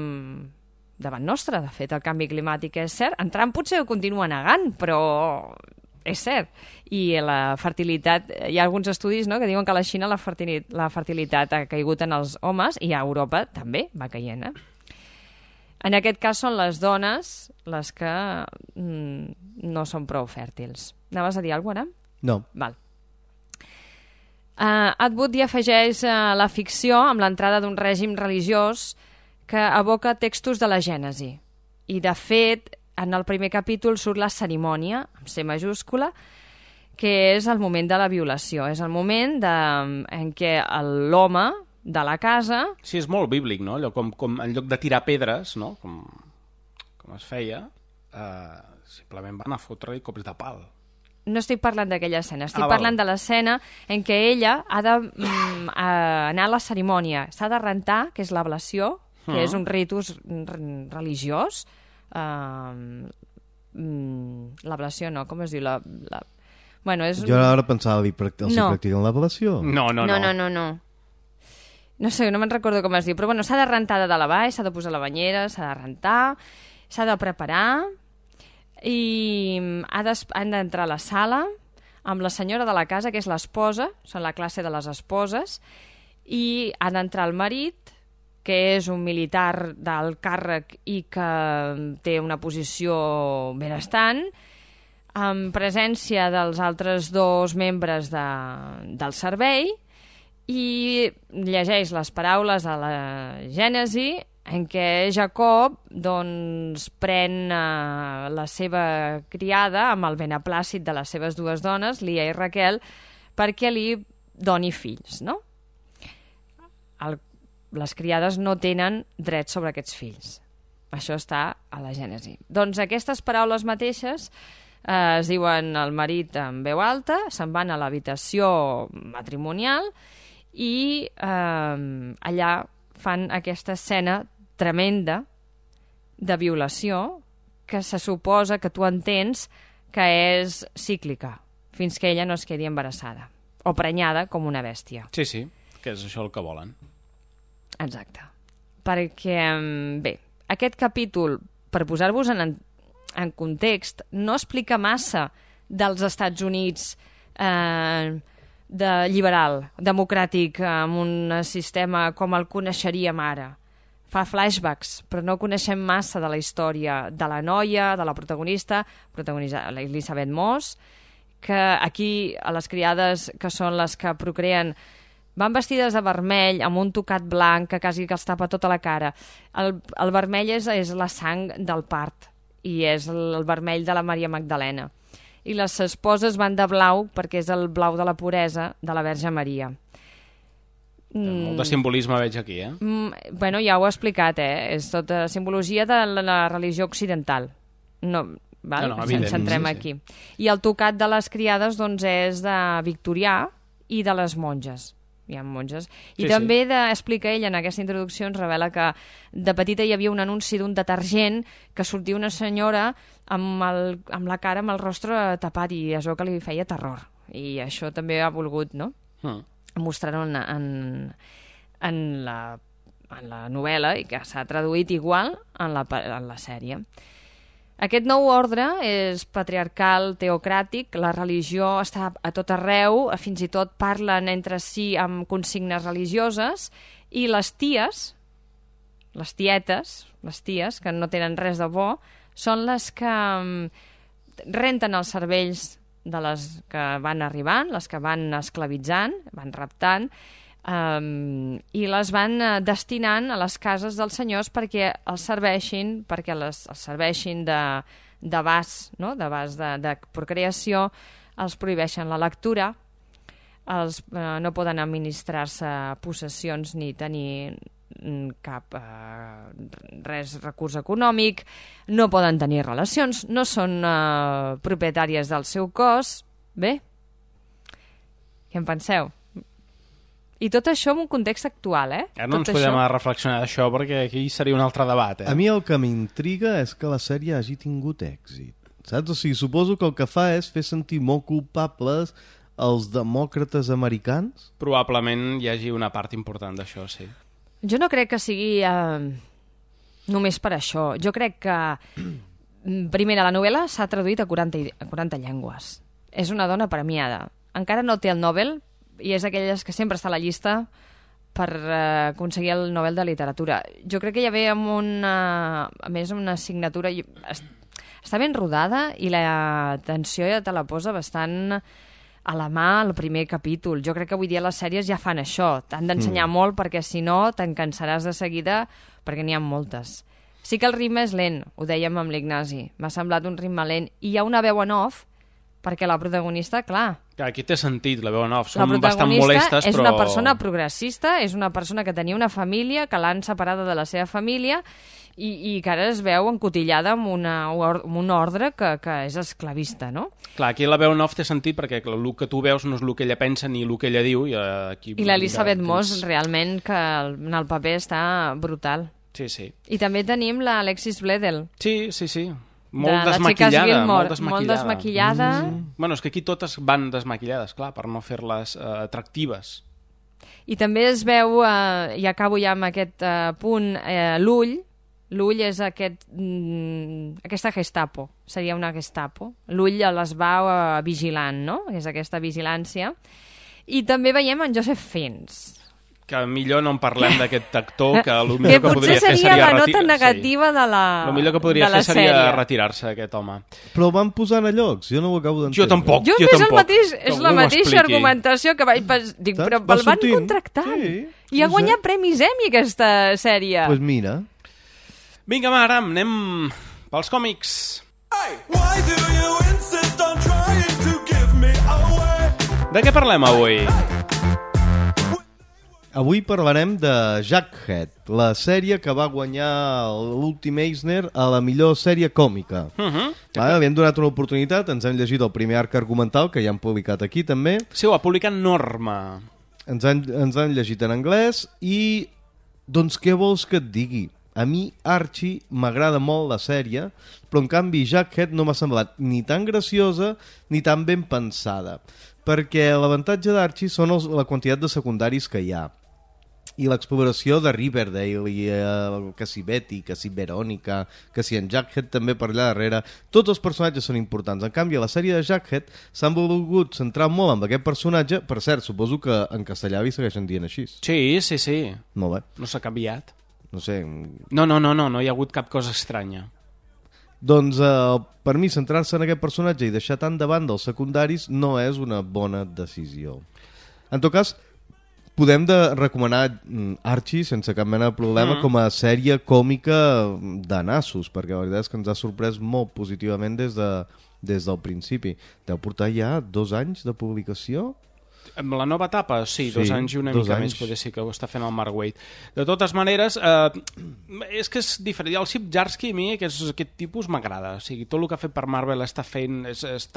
davant nostra. De fet, el canvi climàtic és cert. En Trump potser ho continua negant, però és cert. I la fertilitat... Hi ha alguns estudis, no?, que diuen que a la Xina la fertilitat ha caigut en els homes i a Europa també va caient. En aquest cas són les dones les que no són prou fèrtils. Anaves a dir alguna cosa, ara? No. Val. Atwood hi afegeix la ficció amb l'entrada d'un règim religiós que evoca textos de la Gènesi. I, de fet, en el primer capítol surt la cerimònia, amb C majúscula, que és el moment de la violació. És el moment en què l'home de la casa... Sí, és molt bíblic, no? Allò com en lloc de tirar pedres, no?, com es feia, simplement van a fotre-li cops de pal. No estic parlant d'aquella escena, estic parlant de l'escena en què ella ha d'anar a la cerimònia. S'ha de rentar, que és l'ablació, que és un ritus religiós. L'ablació no, com es diu? Bueno, és... Jo ara pensava dir, els practiquen l'ablació? No. No sé, no me'n recordo com es diu, però bueno, s'ha de rentar de dalt a baix, s'ha de posar la banyera, s'ha de rentar, s'ha de preparar... i han d'entrar a la sala amb la senyora de la casa, que és l'esposa, són la classe de les esposes, i ha d'entrar el marit, que és un militar d'alt càrrec i que té una posició benestant, en presència dels altres dos membres del servei, i llegeix les paraules de la Gènesi en què Jacob doncs, pren la seva criada amb el beneplàcit de les seves dues dones, Lia i Raquel, perquè li doni fills, no? Les criades no tenen dret sobre aquests fills. Això està a la Gènesi. Doncs aquestes paraules mateixes es diuen al marit en veu alta, se'n van a l'habitació matrimonial i allà fan aquesta escena tremenda de violació que se suposa que tu entens que és cíclica, fins que ella no es quedi embarassada o prenyada com una bèstia. Sí, sí, que és això el que volen. Exacte. Perquè, bé, aquest capítol, per posar-vos en context, no explica massa dels Estats Units de liberal, democràtic, amb un sistema com el coneixeríem ara. Fa flashbacks, però no coneixem massa de la història de la noia, de la protagonista, Elisabeth Moss, que aquí a les criades, que són les que procreen, van vestides de vermell, amb un tocat blanc que quasi que els tapa tota la cara. El vermell és la sang del part i és el vermell de la Maria Magdalena. I les esposes van de blau perquè és el blau de la puresa de la Verge Maria. Molt de simbolisme veig aquí, eh? Bueno, ja ho he explicat, És tota simbologia de la religió occidental. No, val? No, evident, ens centrem aquí. I el tocat de les criades doncs, és de victorià i de les monges. Hi ha monges. I també explica ell en aquesta introducció, ens revela que de petita hi havia un anunci d'un detergent que sortia una senyora amb la cara, amb el rostre tapat, i es veu que li feia terror. I això també ha volgut, no? Mostrar-ho en la novel·la i que s'ha traduït igual en la sèrie. Aquest nou ordre és patriarcal, teocràtic, la religió està a tot arreu, fins i tot parlen entre si amb consignes religioses, i les ties, les ties, que no tenen res de bo, són les que renten els cervells de les que van arribant, les que van esclavitzant, van raptant, i les van destinant a les cases dels senyors perquè els serveixin, de bas, no? De bas de procreació, els prohibeixen la lectura, no poden administrar-se possessions ni tenir cap recurs econòmic, no poden tenir relacions, no són propietàries del seu cos. Bé, què en penseu? I tot això en un context actual, Ara no ens podem reflexionar d'això perquè aquí seria un altre debat, A mi el que m'intriga és que la sèrie hagi tingut èxit, saps? O sigui, suposo que el que fa és fer sentir molt culpables els demòcrates americans? Probablement hi hagi una part important d'això, sí. Jo no crec que sigui només per això. Jo crec que, primera, la novel·la s'ha traduït a 40 llengües. És una dona premiada. Encara no té el Nobel i és d'aquelles que sempre està a la llista per aconseguir el Nobel de Literatura. Jo crec que ja ve amb a més una assignatura... Està ben rodada i la tensió ja te la posa bastant a la mà al primer capítol. Jo crec que avui dia les sèries ja fan això. T'han d'ensenyar molt perquè si no te'n cansaràs de seguida perquè n'hi ha moltes. Sí que el ritme és lent, ho dèiem amb l'Ignasi. M'ha semblat un ritme lent. I hi ha una veu en off perquè la protagonista, clar... Aquí té sentit, la veu en off. Són bastant molestes, però... és una persona progressista, és una persona que tenia una família, que l'han separada de la seva família i que ara es veu encotillada amb un ordre que és esclavista, no? Clar, aquí la veu en off té sentit perquè el que tu veus no és el que ella pensa ni el que ella diu. I l'Elisabeth Moss, realment, que en el paper està brutal. Sí, sí. I també tenim l'Alexis Bledel. Sí, sí, sí. Molt desmaquillada, molt desmaquillada. Bueno, és que aquí totes van desmaquillades, clar, per no fer-les atractives. I també es veu, i acabo ja amb aquest punt, l'ull. L'ull és aquesta Gestapo, seria una Gestapo. L'ull les va vigilant, no? És aquesta vigilància. I també veiem en Joseph Fiennes. Que millor no en parlem d'aquest actor, que el millor que podria fer seria... la nota negativa de la sèrie. El millor que podria fer seria retirar-se, aquest home. Però van posant a llocs, jo no ho acabo d'entendre. Jo tampoc, jo tampoc. És la mateixa argumentació que vaig pensar. Dic, però el van contractant. Sí, i ha guanyat premis Emmy, aquesta sèrie. Doncs mira. Vinga, va, Aram, anem pels còmics. De què parlem avui? Avui parlarem de Jughead, la sèrie que va guanyar l'últim Eisner a la millor sèrie còmica. Li hem donat una oportunitat, ens hem llegit el primer arc argumental, que ja hem publicat aquí també. Sí, ho ha publicat Norma. Ens han llegit en anglès i, doncs, què vols que et digui? A mi Archie m'agrada molt la sèrie, però en canvi Jughead no m'ha semblat ni tan graciosa ni tan ben pensada, perquè l'avantatge d'Archie són la quantitat de secundaris que hi ha i l'exploració de Riverdale i que si Betty, que si Verónica, que si en Jughead també per allà darrere. Tots els personatges són importants. En canvi, a la sèrie de Jughead s'han volgut centrar molt en aquest personatge. Per cert, suposo que en castellà li segueixen dient així. Sí. Molt bé. No s'ha canviat. No sé. No hi ha hagut cap cosa estranya. Doncs per mi centrar-se en aquest personatge i deixar tant de banda els secundaris no és una bona decisió. En tot cas, podem recomanar Archie sense cap mena de problema com a sèrie còmica de nassos, perquè la veritat és que ens ha sorprès molt positivament des del principi. Deu portar ja 2 anys de publicació? Amb la nova etapa, sí, 2 anys i una mica més, potser sí que ho està fent el Mark Waid. De totes maneres, és que és diferent. El Chip Zdarsky, a mi, aquest tipus m'agrada. O sigui, tot el que ha fet per Marvel està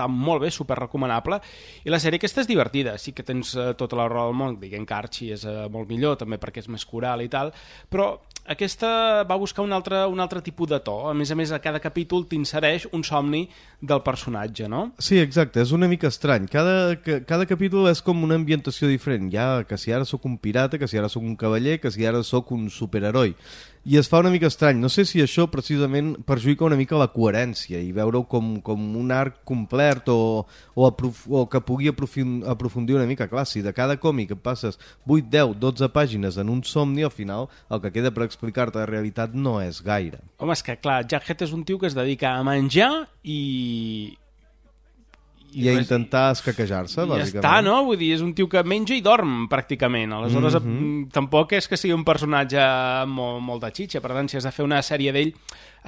molt bé, super recomanable, i la sèrie aquesta és divertida. Sí que tens tota la raó del món, diguem que Archie és molt millor, també perquè és més coral i tal, però aquesta va buscar un altre tipus de to. A més, a cada capítol t'insereix un somni del personatge, no? Sí, exacte, és una mica estrany. Cada capítol és com una ambientació diferent. Ja que si ara sóc un pirata, que si ara sóc un cavaller, que si ara sóc un superheroi. I es fa una mica estrany. No sé si això precisament perjudica una mica la coherència i veure-ho com un arc complet o que pugui aprofundir una mica. Clar, si de cada còmic et passes 8, 10, 12 pàgines en un somni, al final el que queda per explicar-te la realitat no és gaire. Home, és que clar, Jughead és un tio que es dedica a menjar i a intentar escaquejar-se, bàsicament. Ja està, no? Vull dir, és un tio que menja i dorm, pràcticament. Aleshores, tampoc és que sigui un personatge molt de xitxa. Per tant, si has de fer una sèrie d'ell,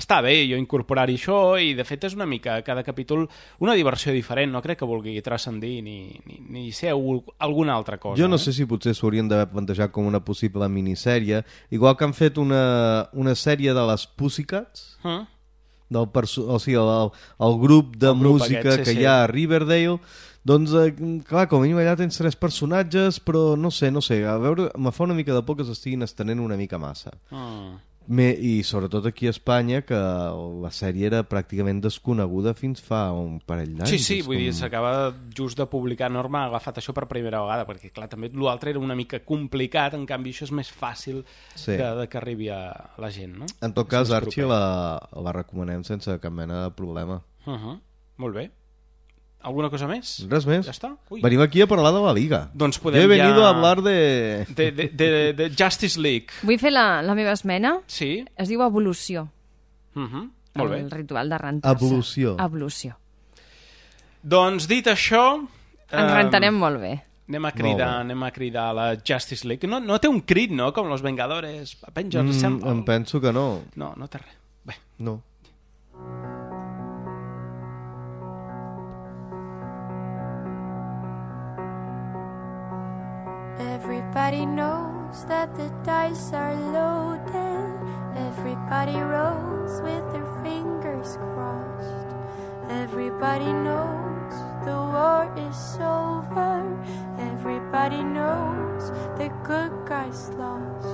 està bé jo incorporar-hi això, i de fet és una mica, cada capítol, una diversió diferent. No crec que vulgui transcendir ni ser alguna altra cosa. Jo no sé si potser s'haurien d'haver plantejat com una possible minissèrie, igual que han fet una sèrie de les Pussycats, el grup de música que hi ha a Riverdale. Doncs, clar, com a mínim allà tens 3 personatges, però no sé, a veure, me fa una mica de por que s'estiguin estenent una mica massa. I sobretot aquí a Espanya, que la sèrie era pràcticament desconeguda fins fa un parell d'anys. Sí, vull dir, s'acaba just de publicar. Norma ha agafat això per primera vegada, perquè clar, també l'altre era una mica complicat, en canvi això és més fàcil que arribi a la gent, no? En tot cas, Archie la recomanem sense cap mena de problema. Molt bé. ¿Alguna cosa més? Res més. Ja està? Venim aquí a parlar de la Liga. Doncs podem He venido a hablar de Justice League. Vull fer la meva esmena. Sí. Es diu evolució. Molt bé. El ritual de rentar-se. Evolució. Doncs dit això... Ens rentarem molt bé. Anem a cridar a la Justice League. No té un crit, no? Com los Vengadores. Avengers Assemble. Em penso que no. No té res. Bé. No. Everybody knows that the dice are loaded. Everybody rolls with their fingers crossed. Everybody knows the war is over. Everybody knows the good guys lost.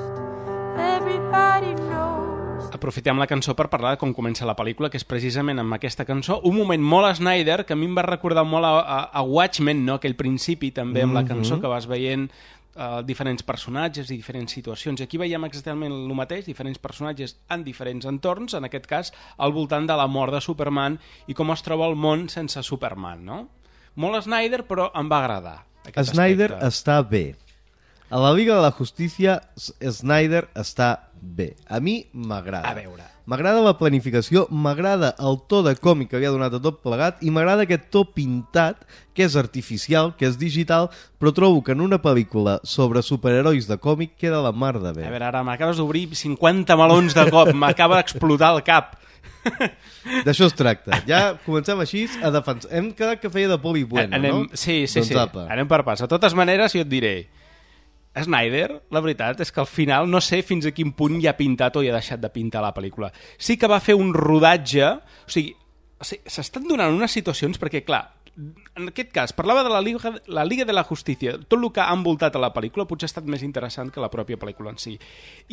Everybody knows. Aprofitem la cançó per parlar de com comença la pel·lícula, que és precisament amb aquesta cançó, un moment molt Snyder, que a mi em va recordar molt a Watchmen, no? Aquell principi també amb la cançó, que vas veient diferents personatges i diferents situacions. I aquí veiem exactament el mateix, diferents personatges en diferents entorns, en aquest cas al voltant de la mort de Superman i com es troba el món sense Superman, no? Molt Snyder, però em va agradar. Snyder està bé. A la Liga de la Justícia, Snyder està bé. A mi m'agrada. A veure. M'agrada la planificació, m'agrada el to de còmic que havia donat a tot plegat i m'agrada aquest to pintat, que és artificial, que és digital, però trobo que en una pel·lícula sobre superherois de còmic queda la mar de bé. A veure, ara m'acabes d'obrir 50 melons de cop, m'acaba d'explotar el cap. D'això es tracta. Ja comencem així a defensar. Hem quedat que feia de Poli Bueno, no? Sí. Doncs apa. Anem per pas. De totes maneres, jo et diré, Snyder, la veritat és que al final no sé fins a quin punt ja ha pintat o ja ha deixat de pintar la pel·lícula. Sí que va fer un rodatge, o sigui s'estan donant unes situacions perquè, clar, en aquest cas, parlava de la Liga de la Justícia, tot el que ha envoltat a la pel·lícula potser ha estat més interessant que la pròpia pel·lícula en si.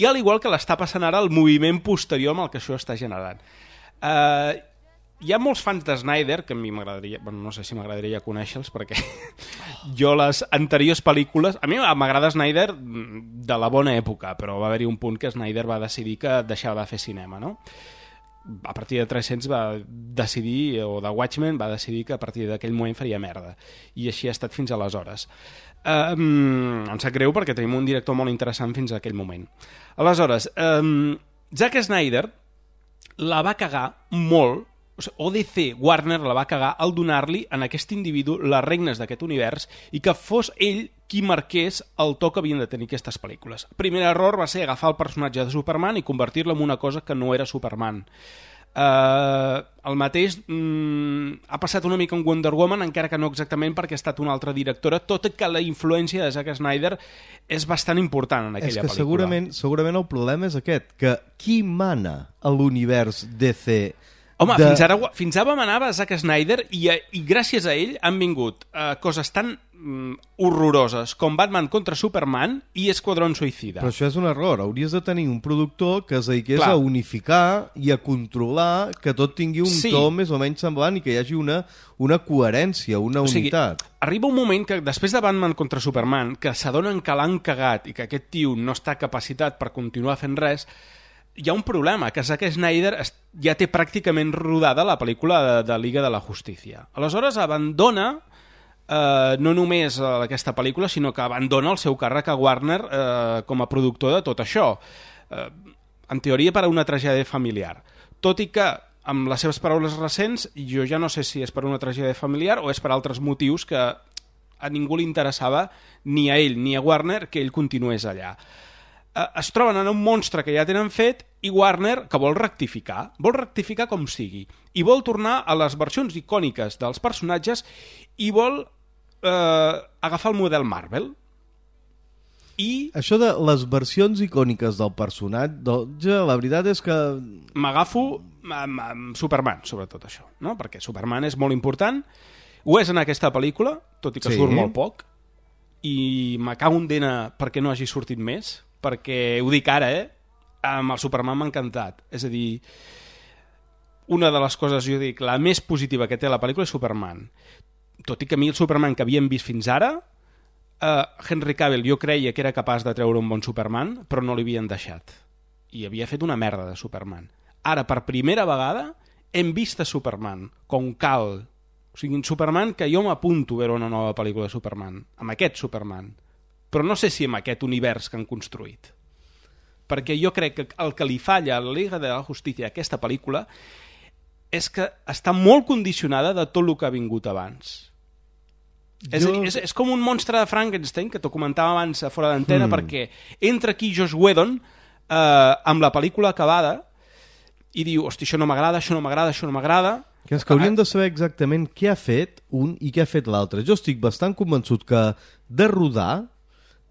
I al igual que l'està passant ara el moviment posterior amb el que això està generant. Hi ha molts fans de Snyder que a mi m'agradaria, bueno, no sé si m'agradaria conèixer-los perquè jo les anteriors pel·lícules, a mi m'agrada Snyder de la bona època, però va haver-hi un punt que Snyder va decidir que deixava de fer cinema, no? A partir de 300 va decidir, o de Watchmen va decidir que a partir d'aquell moment faria merda, i així ha estat fins aleshores. Em sap greu perquè tenim un director molt interessant fins a aquell moment. Aleshores, Zack Snyder la va cagar molt, o DC, Warner la va cagar al donar-li en aquest individu les regnes d'aquest univers i que fos ell qui marqués el to que havien de tenir aquestes pel·lícules. El primer error va ser agafar el personatge de Superman i convertir-lo en una cosa que no era Superman. El mateix ha passat una mica amb Wonder Woman, encara que no exactament perquè ha estat una altra directora, tot i que la influència de Zack Snyder és bastant important en aquella pel·lícula. Segurament el problema és aquest, que qui mana a l'univers DC? Home, fins ara manava Zack Snyder i gràcies a ell han vingut coses tan horroroses com Batman contra Superman i Esquadrón Suïcida. Però això és un error. Hauries de tenir un productor que es dediqués a unificar i a controlar que tot tingui un to més o menys semblant i que hi hagi una coherència, una unitat. Arriba un moment que després de Batman contra Superman, que s'adonen que l'han cagat i que aquest tio no està capacitat per continuar fent res, hi ha un problema, que Zack Snyder ja té pràcticament rodada la pel·lícula de Liga de la Justícia. Aleshores abandona no només aquesta pel·lícula, sinó que abandona el seu càrrec a Warner com a productor de tot això. En teoria per a una tragèdia familiar. Tot i que, amb les seves paraules recents, jo ja no sé si és per una tragèdia familiar o és per altres motius que a ningú li interessava, ni a ell ni a Warner, que ell continués allà. Es troben en un monstre que ja tenen fet i Warner que vol rectificar com sigui, i vol tornar a les versions icòniques dels personatges i vol agafar el model Marvel. I això de les versions icòniques del personatge, la veritat és que m'agafo amb Superman, sobretot això, no? Perquè Superman és molt important, ho és en aquesta pel·lícula, tot i que surt molt poc, i me cago en dena perquè no hagi sortit més, perquè ho dic ara, amb el Superman m'ha encantat. És a dir, una de les coses, jo dic, la més positiva que té la pel·lícula és Superman. Tot i que a mi el Superman que havíem vist fins ara, Henry Cavill jo creia que era capaç de treure un bon Superman, però no li havien deixat. I havia fet una merda de Superman. Ara, per primera vegada, hem vist a Superman, com cal. O sigui, un Superman que jo m'apunto a veure una nova pel·lícula de Superman, amb aquest Superman. Però no sé si amb aquest univers que han construït. Perquè jo crec que el que li falla a la Liga de la Justícia a aquesta pel·lícula és que està molt condicionada de tot el que ha vingut abans. És a dir, és com un monstre de Frankenstein, que t'ho comentava abans fora d'antena, perquè entra aquí Joss Whedon amb la pel·lícula acabada i diu, hosti, això no m'agrada, això no m'agrada, això no m'agrada. Que és que hauríem de saber exactament què ha fet un i què ha fet l'altre. Jo estic bastant convençut que de rodar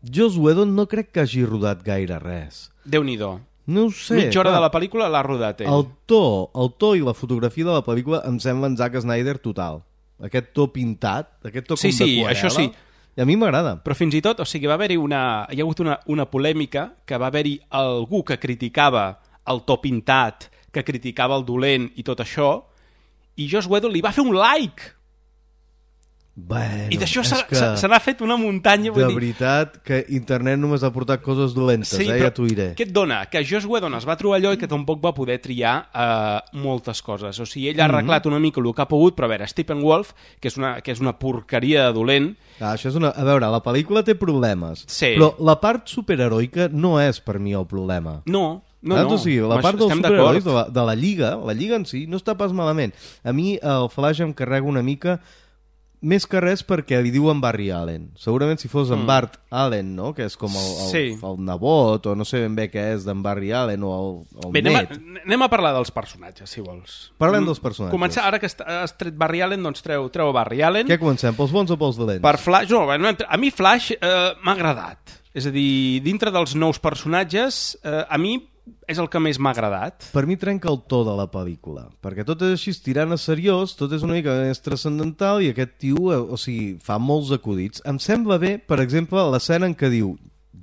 Joss Whedon no crec que hagi rodat gaire res. Déu-n'hi-do. No ho sé. Mitja hora de la pel·lícula l'ha rodat ell. El to i la fotografia de la pel·lícula em semblen Zack Snyder total. Aquest to pintat, aquest to com de aquarel·la. Això sí. I a mi m'agrada. Però fins i tot, o sigui, hi ha hagut una polèmica que va haver-hi algú que criticava el to pintat, que criticava el dolent i tot això, i Joss Whedon li va fer un like. Bueno, i d'això se n'ha fet una muntanya. De veritat que internet només ha portat coses dolentes, ja t'ho diré. Què et dona? Que Joss Whedon es va trobar allò i que tampoc va poder triar moltes coses. O sigui, ell ha arreglat una mica el que ha pogut, però a veure, Steppenwolf, que és una porqueria de dolent... Això és a veure, la pel·lícula té problemes, però la part superheroica no és per mi el problema. No, No, o sigui, la part dels estem superherois d'acord. de la Lliga en si no està pas malament. A mi el Flash em carrega una mica, més que res perquè li diuen Barry Allen. Segurament si fos en Bart Allen, no? Que és com el nebot, o no sé ben bé què és d'en Barry Allen, o el Bé, net. anem a parlar dels personatges, si vols. Parlem dels personatges. Començar, ara que has tret Barry Allen, doncs treu Barry Allen. Què comencem, pels bons o pels dolents? Per Flash, no, a mi Flash m'ha agradat. És a dir, dintre dels nous personatges, a mi és el que més m'ha agradat. Per mi trenca el to de la pel·lícula, perquè tot és així tirant a seriós, tot és una mica més transcendental i aquest tio, o sigui, fa molts acudits. Em sembla bé, per exemple, l'escena en què diu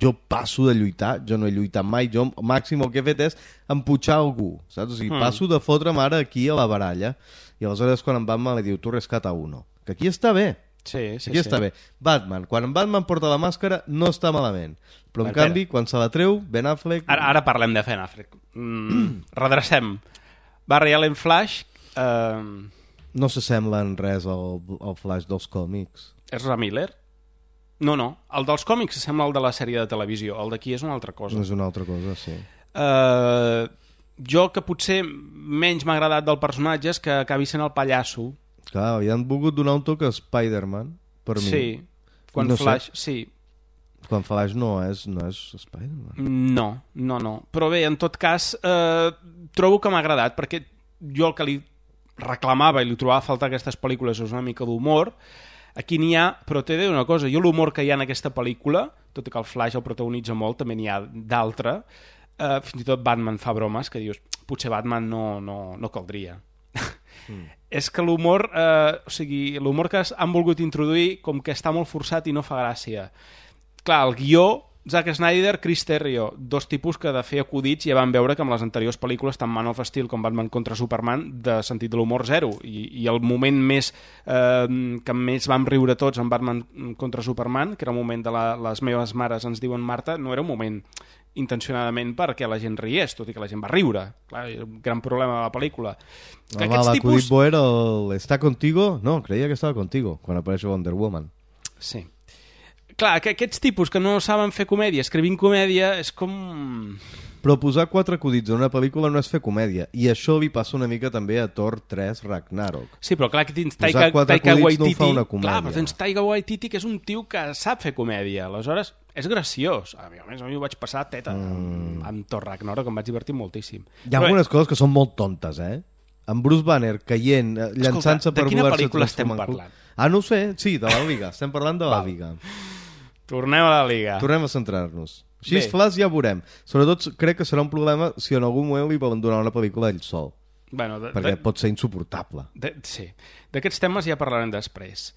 jo passo de lluitar, jo no he lluitat mai, jo màxim el que he fet és emputxar algú, saps? O sigui, passo de fotre'm ara aquí a la baralla i aleshores quan en Batman li diu tu rescata uno, que aquí està bé. Sí. Està bé. Batman, quan en Batman porta la màscara no està malament, però en canvi quan se la treu Ben Affleck... Ara parlem de Ben Affleck. Redrecem. Barry Allen Flash... No s'assembla en res al Flash dels còmics. Ezra Miller? No, el dels còmics sembla el de la sèrie de televisió, el d'aquí és una altra cosa. És una altra cosa, sí. Jo que potser menys m'ha agradat del personatge és que acabi sent el pallasso. Clar, havien volgut donar un toc a Spider-Man, per mi. Sí, quan Flash, sí. Quan Flash no és Spider-Man. No. Però bé, en tot cas, trobo que m'ha agradat, perquè jo el que li reclamava i li trobava a faltar aquestes pel·lícules és una mica d'humor. Aquí n'hi ha, però t'he de dir una cosa, jo l'humor que hi ha en aquesta pel·lícula, tot i que el Flash el protagonitza molt, també n'hi ha d'altre, fins i tot Batman fa bromes que dius, potser Batman no caldria. És que l'humor, o sigui, l'humor que han volgut introduir com que està molt forçat i no fa gràcia. Clar, el guió, Zack Snyder, Chris Terrio, dos tipus que de fer acudits ja van veure que amb les anteriors pel·lícules, tant Man of Steel com Batman contra Superman, de sentit de l'humor zero. I el moment més que més vam riure tots en Batman contra Superman, que era el moment de les meves mares ens diuen Marta, no era un moment intencionadament perquè la gent riés, tot i que la gent va riure. Clar, era un gran problema de la pel·lícula. L'acudit bo era ¿Está contigo? No, creia que estava contigo, quan apareix Wonder Woman. Sí. Clar, que aquests tipus que no saben fer comèdia, escrivint comèdia, és com... Però posar 4 acudits en una pel·lícula no és fer comèdia, i això li passa una mica també a Thor 3 Ragnarok. Sí, però clar que tens Taika Waititi, no clar, però tens Taika Waititi, que és un tio que sap fer comèdia, aleshores és graciós. A més, a mi ho vaig passar teta amb Thor Ragnarok, em vaig divertir moltíssim. Hi ha algunes coses que són molt tontes, En Bruce Banner caient, llançant-se per voler-se... De quina pel·lícula estem parlant? No ho sé, sí, de la Liga, estem parlant de la Liga. Tornem a la Liga. Tornem a centrar-nos. Així és Flash, ja veurem. Sobretot crec que serà un problema si en algun moment li volen donar una pel·lícula ell sol. Bueno, perquè pot ser insuportable. Sí. D'aquests temes ja parlarem després.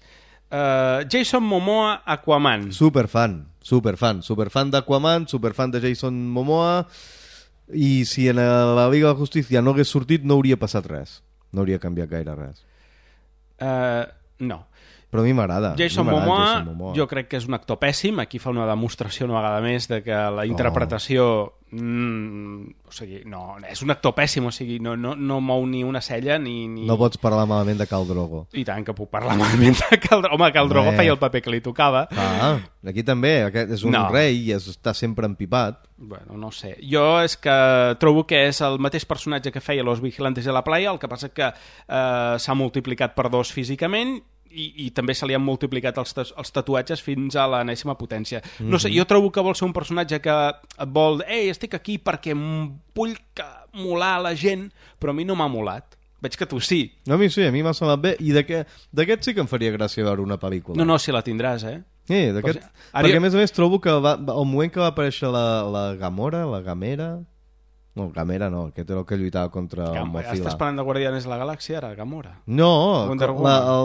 Jason Momoa, Aquaman. Superfan d'Aquaman, superfan de Jason Momoa, i si en la Liga de la Justícia no hagués sortit no hauria passat res. No hauria canviat gaire res. No. Però a mi m'agrada. Jason Momoa, jo crec que és un actor pèssim. Aquí fa una demostració una vegada més de que la interpretació... o sigui, no, és un actor pèssim, o sigui, no mou ni una cella ni... No pots parlar malament de Khal Drogo. I tant que puc parlar malament de Khal Drogo. Home, Khal Drogo feia el paper que li tocava. Aquí també, aquest és un rei i està sempre empipat. Bueno, no sé. Jo és que trobo que és el mateix personatge que feia Los Vigilantes de la Playa, el que passa que s'ha multiplicat per 2 físicament i també se li han multiplicat els tatuatges fins a l'enèsima potència. No sé, jo trobo que vol ser un personatge que vol... estic aquí perquè vull molar la gent, però a mi no m'ha molat. Veig que tu sí. No, a mi sí, a mi m'ha semblat bé. I d'aquest sí que em faria gràcia veure una pel·lícula. No, si la tindràs, Sí, d'aquest... Perquè a més trobo que al moment que va aparèixer la Gamora, la Gamera... No, Gamera no, aquest era el que lluitava contra el Mozilla. Estàs parlant de Guardianes de la Galàxia, ara, Gamora? No,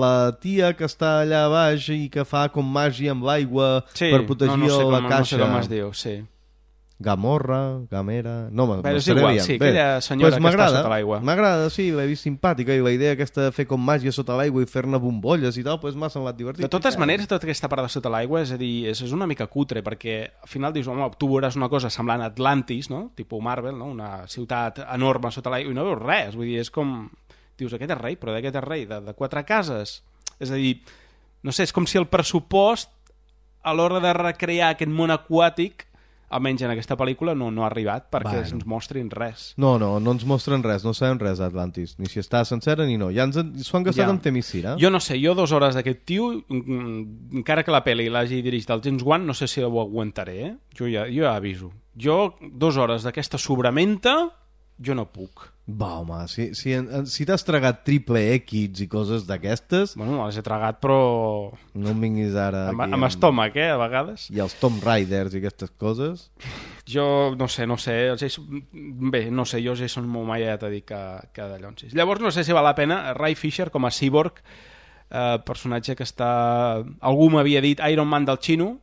la tia que està allà baix i que fa com màgia amb l'aigua per protegir la caixa. No sé com es diu, sí. Gamorra, Gamera... No, és igual, sí, aquella senyora que està sota l'aigua. M'agrada, sí, l'he vist simpàtica i la idea aquesta de fer com màgia sota l'aigua i fer-ne bombolles i tal, doncs m'ha semblat divertit. De totes maneres, tota aquesta part de sota l'aigua, és a dir, és una mica cutre, perquè al final dius, home, tu veuràs una cosa semblant a Atlantis, no? Tipus Marvel, no? Una ciutat enorme sota l'aigua, i no veus res, vull dir, és com... Dius, aquest és rei, però d'aquest és rei, de 4 cases. És a dir, no sé, és com si el pressupost, a l'hora de recrear aquest món aquàtic, almenys en aquesta pel·lícula, no ha arribat perquè ens mostrin res. No ens mostren res, no sabem res d'Atlantis, ni si està sencera ni no. Ja s'ho han gastat amb Themyscira. Jo no sé, jo 2 hores d'aquest tio, encara que la pel·li l'hagi dirigit el James Wan, no sé si ho aguantaré, eh? Jo ja aviso. Jo 2 hores d'aquesta sobramenta, jo no puc. Va, home, si t'has tragat triple X i coses d'aquestes... Bueno, les he tragat, però... No em vinguis ara... Amb estómac, a vegades. I els Tomb Raiders i aquestes coses... Jo no sé. Bé, no sé, jo Jason Momoa ja t'he dit que de llonsis. Llavors no sé si val la pena Ray Fisher com a Cyborg, personatge que està... Algú m'havia dit Iron Man del xino.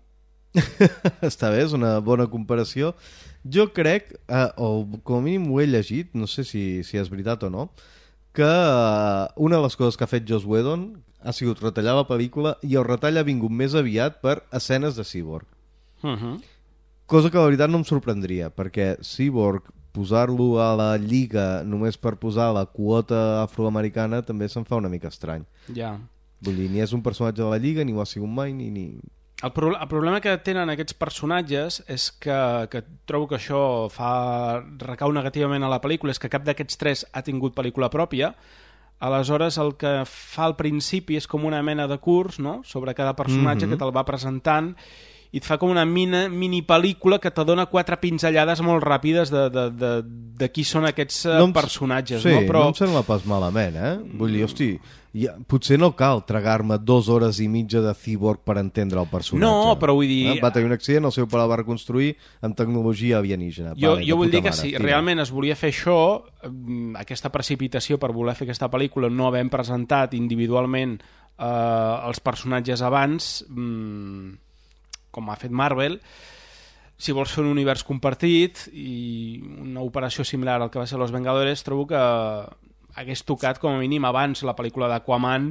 Està bé, és una bona comparació. Jo crec, o com a mínim ho he llegit, no sé si és veritat o no, que una de les coses que ha fet Joss Whedon ha sigut retallar la pel·lícula i el retall ha vingut més aviat per escenes de Cyborg. Cosa que la veritat no em sorprendria, perquè Cyborg, posar-lo a la lliga només per posar la quota afroamericana també se'n fa una mica estrany. Ja. Vull dir, ni és un personatge de la lliga, ni ho ha sigut mai, ni... El problema que tenen aquests personatges és que trobo que això recau negativament a la pel·lícula, és que cap d'aquests 3 ha tingut pel·lícula pròpia. Aleshores el que fa al principi és com una mena de curs, no?, sobre cada personatge que te'l va presentant i et fa com una mini pel·lícula que te dona 4 pinzellades molt ràpides de qui són aquests personatges. Sí, no? Però... no em sembla pas malament, Vull dir, hosti, potser no cal tragar-me 2 hores i mitja de Cyborg per entendre el personatge. No, però vull dir... Va tenir un accident, el seu pare el va reconstruir amb tecnologia alienígena. Jo vull dir que si realment es volia fer això, aquesta precipitació per voler fer aquesta pel·lícula, no havent presentat individualment els personatges abans... com ha fet Marvel, si vols fer un univers compartit i una operació similar al que va ser Los Vengadores, trobo que hagués tocat com a mínim abans la pel·lícula d'Aquaman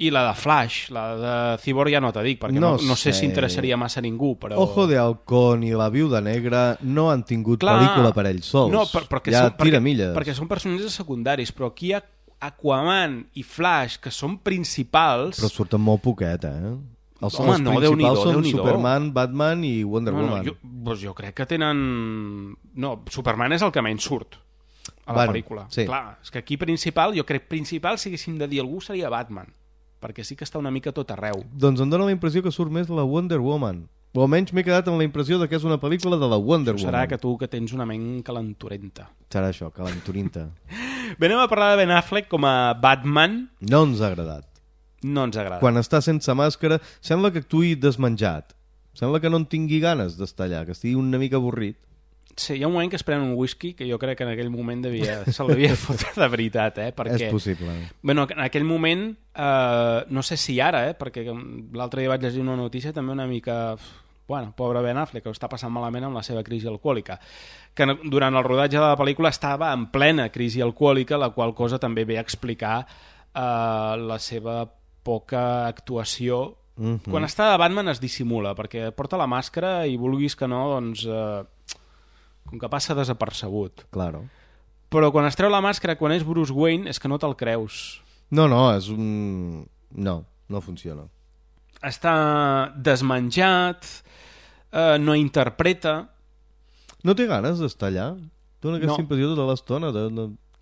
i la de Flash. La de Cyborg ja no t'ho dic, perquè no sé si interessaria massa a ningú, però... Ojo de Halcón i la Viuda Negra no han tingut pel·lícula per ells sols. No, perquè són personatges secundaris, però aquí hi ha Aquaman i Flash, que són principals... Però surten molt poquet, Els principals són Superman, Batman i Wonder Woman. Jo crec que tenen... No, Superman és el que menys surt a la pel·lícula. Sí. Clar, és que aquí principal, jo crec principal, si haguéssim de dir algú, seria Batman, perquè sí que està una mica tot arreu. Doncs em dóna la impressió que surt més la Wonder Woman. O almenys m'he quedat amb la impressió que és una pel·lícula de la Wonder Woman. Serà que tu que tens una ment calenturenta. Serà això, calenturinta. Bé, anem a parlar de Ben Affleck com a Batman. No ens ha agradat. No ens agrada. Quan està sense màscara, sembla que actuï desmenjat. Sembla que no en tingui ganes d'estar allà, que estigui una mica avorrit. Sí, hi ha un moment que es pren un whisky que jo crec que en aquell moment se'l devia fotre de veritat, perquè... És possible. Bueno, en aquell moment, no sé si ara, perquè l'altre dia vaig llegir una notícia també una mica... Bueno, pobre Ben Affleck, que ho està passant malament amb la seva crisi alcohòlica, que durant el rodatge de la pel·lícula estava en plena crisi alcohòlica, la qual cosa també ve a explicar la seva poca actuació. Quan està de Batman es dissimula, perquè porta la màscara i vulguis que no, doncs com que passa desapercebut. Claro. Però quan es treu la màscara, quan és Bruce Wayne, és que no te'l creus. No, és un... No funciona. Està desmenjat, no interpreta... No té ganes d'estar allà? Dóna aquesta impressió tota l'estona.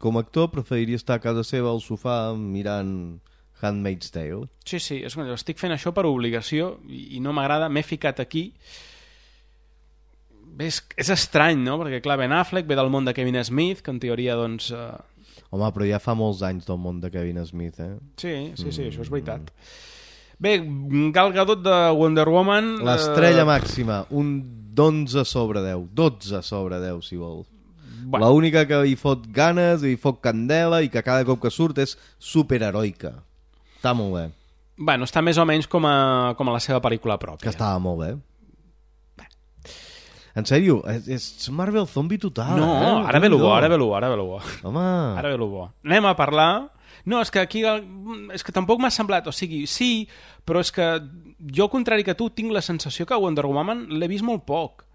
Com a actor preferiria estar a casa seva al sofà mirant... Handmaid's Tale. Sí, estic fent això per obligació i no m'agrada, m'he ficat aquí. Bé, és estrany, no? Perquè, clar, Ben Affleck ve del món de Kevin Smith, que en teoria, doncs... Home, però ja fa molts anys del món de Kevin Smith, Sí, això és veritat. Bé, Gal Gadot de Wonder Woman... L'estrella màxima, un 11 sobre 10. 12 sobre 10, si vol. Bueno. L'única que hi fot ganes, hi fot candela i que cada cop que surt és superheroica. Està molt bé. Bueno, està més o menys com a la seva pel·lícula pròpia. Que estava molt bé. En sèrio, és Marvel zombie total. No, ara ve lo bo. Home. Ara ve lo bo. Anem a parlar... No, és que aquí... És que tampoc m'ha semblat... O sigui, sí, però és que jo, al contrari que tu, tinc la sensació que Wonder Woman l'he vist molt poc.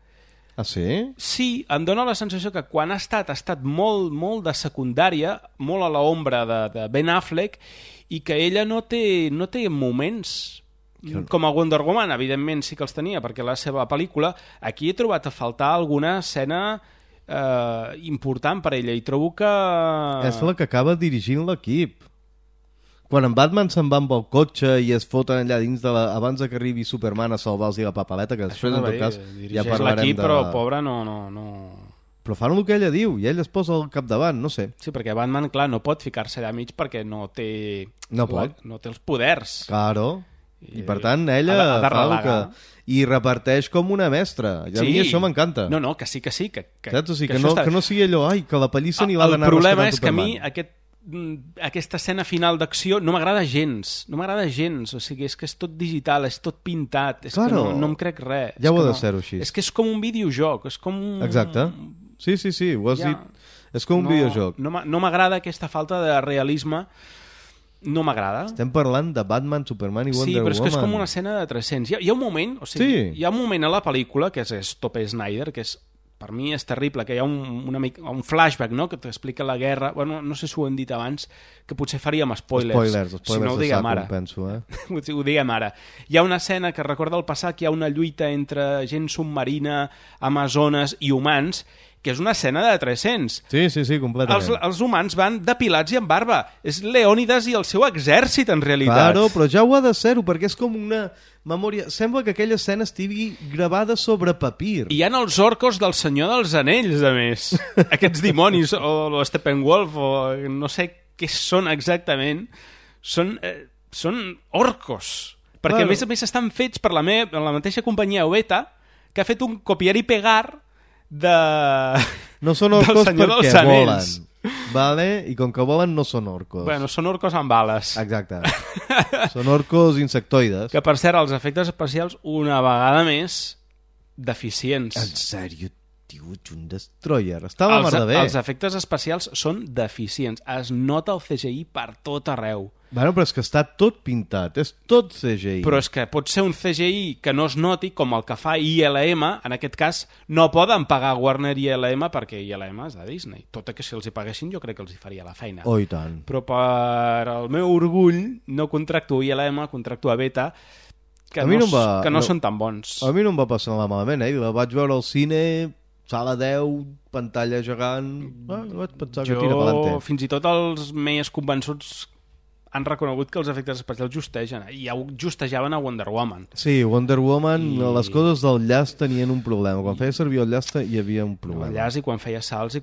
Ah, sí? Sí, em dóna la sensació que quan ha estat molt, molt de secundària, molt a l'ombra de Ben Affleck, i que ella no té moments com a Wonder Woman, evidentment sí que els tenia, perquè la seva pel·lícula, aquí he trobat a faltar alguna escena important per ella, i trobo que... És la que acaba dirigint l'equip. Quan en Batman se'n va amb el cotxe i es foten allà dins abans que arribi Superman a salvar-los la papaleta, que després en tot cas ja parlarem l'equip, però pobra no... Però fan el que ella diu i ell es posa al capdavant, no sé. Sí, perquè Batman, clar, no pot ficar-se allà mig perquè no té... No pot. No té els poders. Claro. I per tant, ella ha de fa el que... I reparteix com una mestra. I a mi això m'encanta. No, que sí. Saps? O sigui, que no sigui allò, que la pallissa ni l'ha d'anar rescatant Superman. El problema és que a mi aquesta escena final d'acció no m'agrada gens. No m'agrada gens. O sigui, és que és tot digital, és tot pintat. És que no em crec res. Ja ho ha de ser-ho així. És que és com un videojoc. És com un... Exacte. Sí, ho has dit. És com un videojoc. No m'agrada aquesta falta de realisme. No m'agrada. Estem parlant de Batman, Superman i Wonder Woman. Sí, però és que és com una escena de 300. Hi ha un moment, hi ha un moment a la pel·lícula, que és Tope Snyder, que per mi és terrible, que hi ha un flashback, no?, que t'explica la guerra. Bueno, no sé si ho hem dit abans, que potser faríem spoilers. Spoilers si no ho diguem ara. Penso, ho diguem ara. Hi ha una escena que recorda el passat, que hi ha una lluita entre gent submarina, amazones i humans, que és una escena de 300. Sí, completament. Els humans van depilats i amb barba. És Leònidas i el seu exèrcit, en realitat. Claro, però ja ho ha de ser-ho, perquè és com una memòria... Sembla que aquella escena estigui gravada sobre papir. I hi ha els orcos del Senyor dels Anells, a més. Aquests dimonis, o Steppenwolf, o no sé què són exactament. Són orcos. Perquè, a més estan fets per la mateixa companyia Weta, que ha fet un copiar i pegar no són orcos perquè volen, vale? I com que volen no són orcos. Bueno, són orcos amb ales. Exacte. Són orcos insectoides. Que, per cert, els efectes especials, una vegada més, deficients. En sèrio, tio, ets un destroyer. Està la mar de bé. Els efectes especials són deficients. Es nota el CGI per tot arreu. Bueno, però és que està tot pintat, és tot CGI. Però és que pot ser un CGI que no es noti, com el que fa ILM, en aquest cas no poden pagar Warner i ILM perquè ILM és de Disney. Tot i que si els hi paguessin jo crec que els hi faria la feina. Oh, i tant. Però per al meu orgull no contracto ILM, contracto a Beta, que no són tan bons. A mi no em va passar malament, La vaig veure al cine, sala 10, pantalla gegant... vaig pensar que tira pelante. Fins i tot els més convençuts han reconegut que els efectes especials justegen, i ja ho justejaven a Wonder Woman. Sí, Wonder Woman, les coses del llaç tenien un problema. Quan feia servir el llaç hi havia un problema. El llaç i quan feia salts i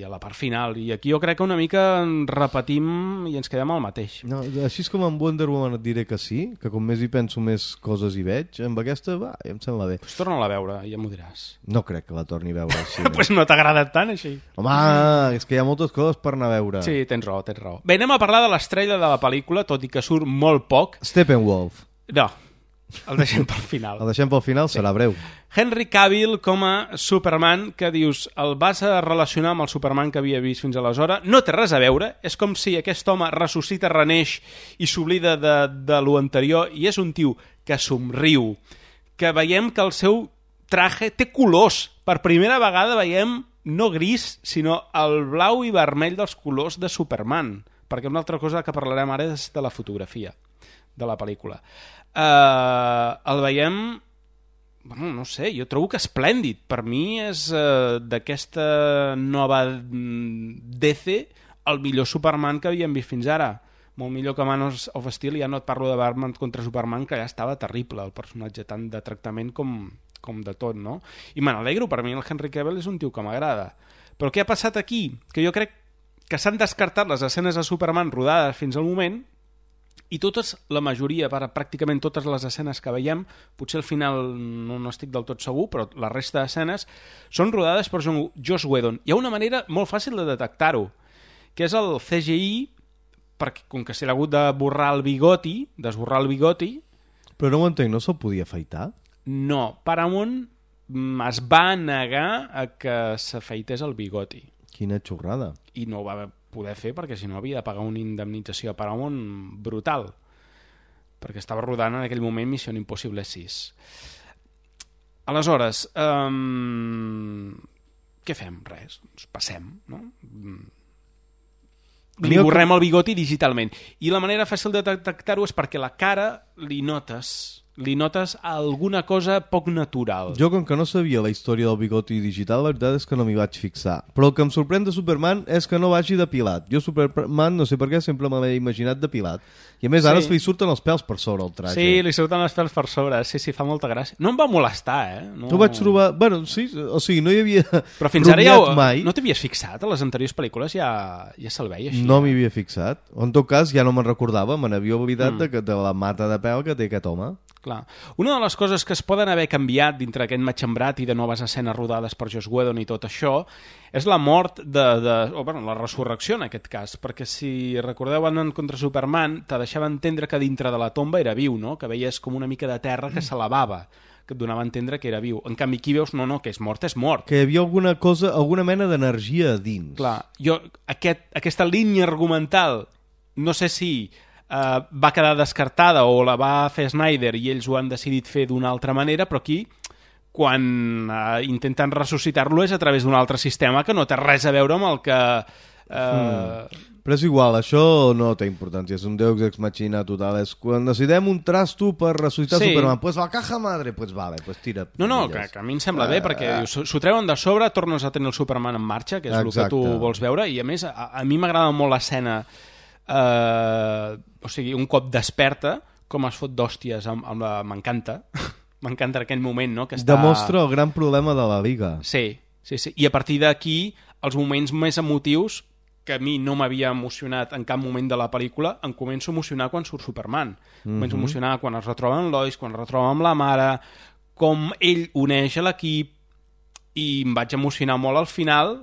a la part final. I aquí jo crec que una mica repetim i ens quedem al mateix. No, així és com amb Wonder Woman et diré que sí, que com més hi penso més coses hi veig. Amb aquesta, ja em sembla bé. Pues torna-la a veure, ja m'ho diràs. No crec que la torni a veure així. Pues no t'ha agradat tant, així. Home, és que hi ha moltes coses per anar a veure. Sí, tens raó. Bé, anem a parlar de l'estrella de la pel·lícula, tot i que surt molt poc. Steppenwolf. No, el deixem pel final. El deixem pel final, serà breu. Henry Cavill com a Superman, que dius, el vas a relacionar amb el Superman que havia vist fins aleshores. No té res a veure, és com si aquest home ressuscita, reneix i s'oblida de lo anterior, i és un tio que somriu, que veiem que el seu traje té colors. Per primera vegada veiem no gris, sinó el blau i vermell dels colors de Superman, perquè una altra cosa que parlarem ara és de la fotografia de la pel·lícula. El veiem, bueno, no sé, jo trobo que esplèndid. Per mi és d'aquesta nova DC el millor Superman que havíem vist fins ara. Molt millor que Man of Steel, ja no et parlo de Batman contra Superman, que ja estava terrible, el personatge, tant de tractament com de tot, no? I me n'alegro, per mi el Henry Cavill és un tio que m'agrada. Però què ha passat aquí? Que jo crec que s'han descartat les escenes de Superman rodades fins al moment, i la majoria, pràcticament totes les escenes que veiem, potser al final no estic del tot segur, però la resta d'escenes són rodades per Joss Whedon. Hi ha una manera molt fàcil de detectar-ho, que és el CGI, perquè com que s'ha hagut d'esborrar el bigoti... Però no ho entenc, no se'l podia afaitar? No, Paramount es va negar a que s'afaités el bigoti. Quina xorrada. I no ho va poder fer perquè si no havia de pagar una indemnització a Paramount brutal, perquè estava rodant en aquell moment Missió Impossible 6. Aleshores, què fem? Res, ens passem, no? li borrem el bigoti digitalment. I la manera fàcil de detectar-ho és perquè la cara li notes alguna cosa poc natural. Jo, com que no sabia la història del bigoti digital, la veritat és que no m'hi vaig fixar. Però el que em sorprèn de Superman és que no vagi depilat. Jo Superman, no sé per què, sempre me l'he imaginat depilat. I a més, ara li surten els pèls per sobre el traje. Sí, li surten els pèls per sobre. Sí, fa molta gràcia. No em va molestar, No ho vaig trobar... Bueno, sí, o sigui, no hi havia... Però fins ara mai. No t'havies fixat? A les anteriors pel·lícules ja se'l veia així. No m'hi havia fixat. En tot cas, ja no me'n recordava. Me n'havia oblidat de la mata de pèl que té aquest home. Clar. Una de les coses que es poden haver canviat dintre aquest matxembrat i de noves escenes rodades per Joss Whedon i tot això és la mort la resurrecció en aquest cas, perquè si recordeu en contra Superman te deixava entendre que dintre de la tomba era viu, no? Que veies com una mica de terra que s'elevava, que et donava a entendre que era viu. En canvi aquí veus, no, que és mort. Que hi havia alguna mena d'energia dins. Clar, aquesta línia argumental, no sé si va quedar descartada o la va fer Snyder i ells ho han decidit fer d'una altra manera, però aquí quan intenten ressuscitar-lo és a través d'un altre sistema que no té res a veure amb el que... Però és igual, això no té importància, és un Deus ex machina total, és quan decidem un trasto per ressuscitar Superman, pues la caja madre, pues vale, pues tira. No, que a mi em sembla bé, perquè s'ho treuen de sobre, tornes a tenir el Superman en marxa, que és el que tu vols veure, i a més a mi m'agrada molt l'escena, o sigui, un cop desperta, com es fot d'hòsties m'encanta. M'encanta en aquell moment, no? Que està... Demostra el gran problema de la Liga. Sí. I a partir d'aquí, els moments més emotius, que a mi no m'havia emocionat en cap moment de la pel·lícula, em començo a emocionar quan surt Superman. Començo a emocionar quan es retroba amb Lois, quan es retroba amb la mare, com ell uneix a l'equip, i em vaig emocionar molt al final,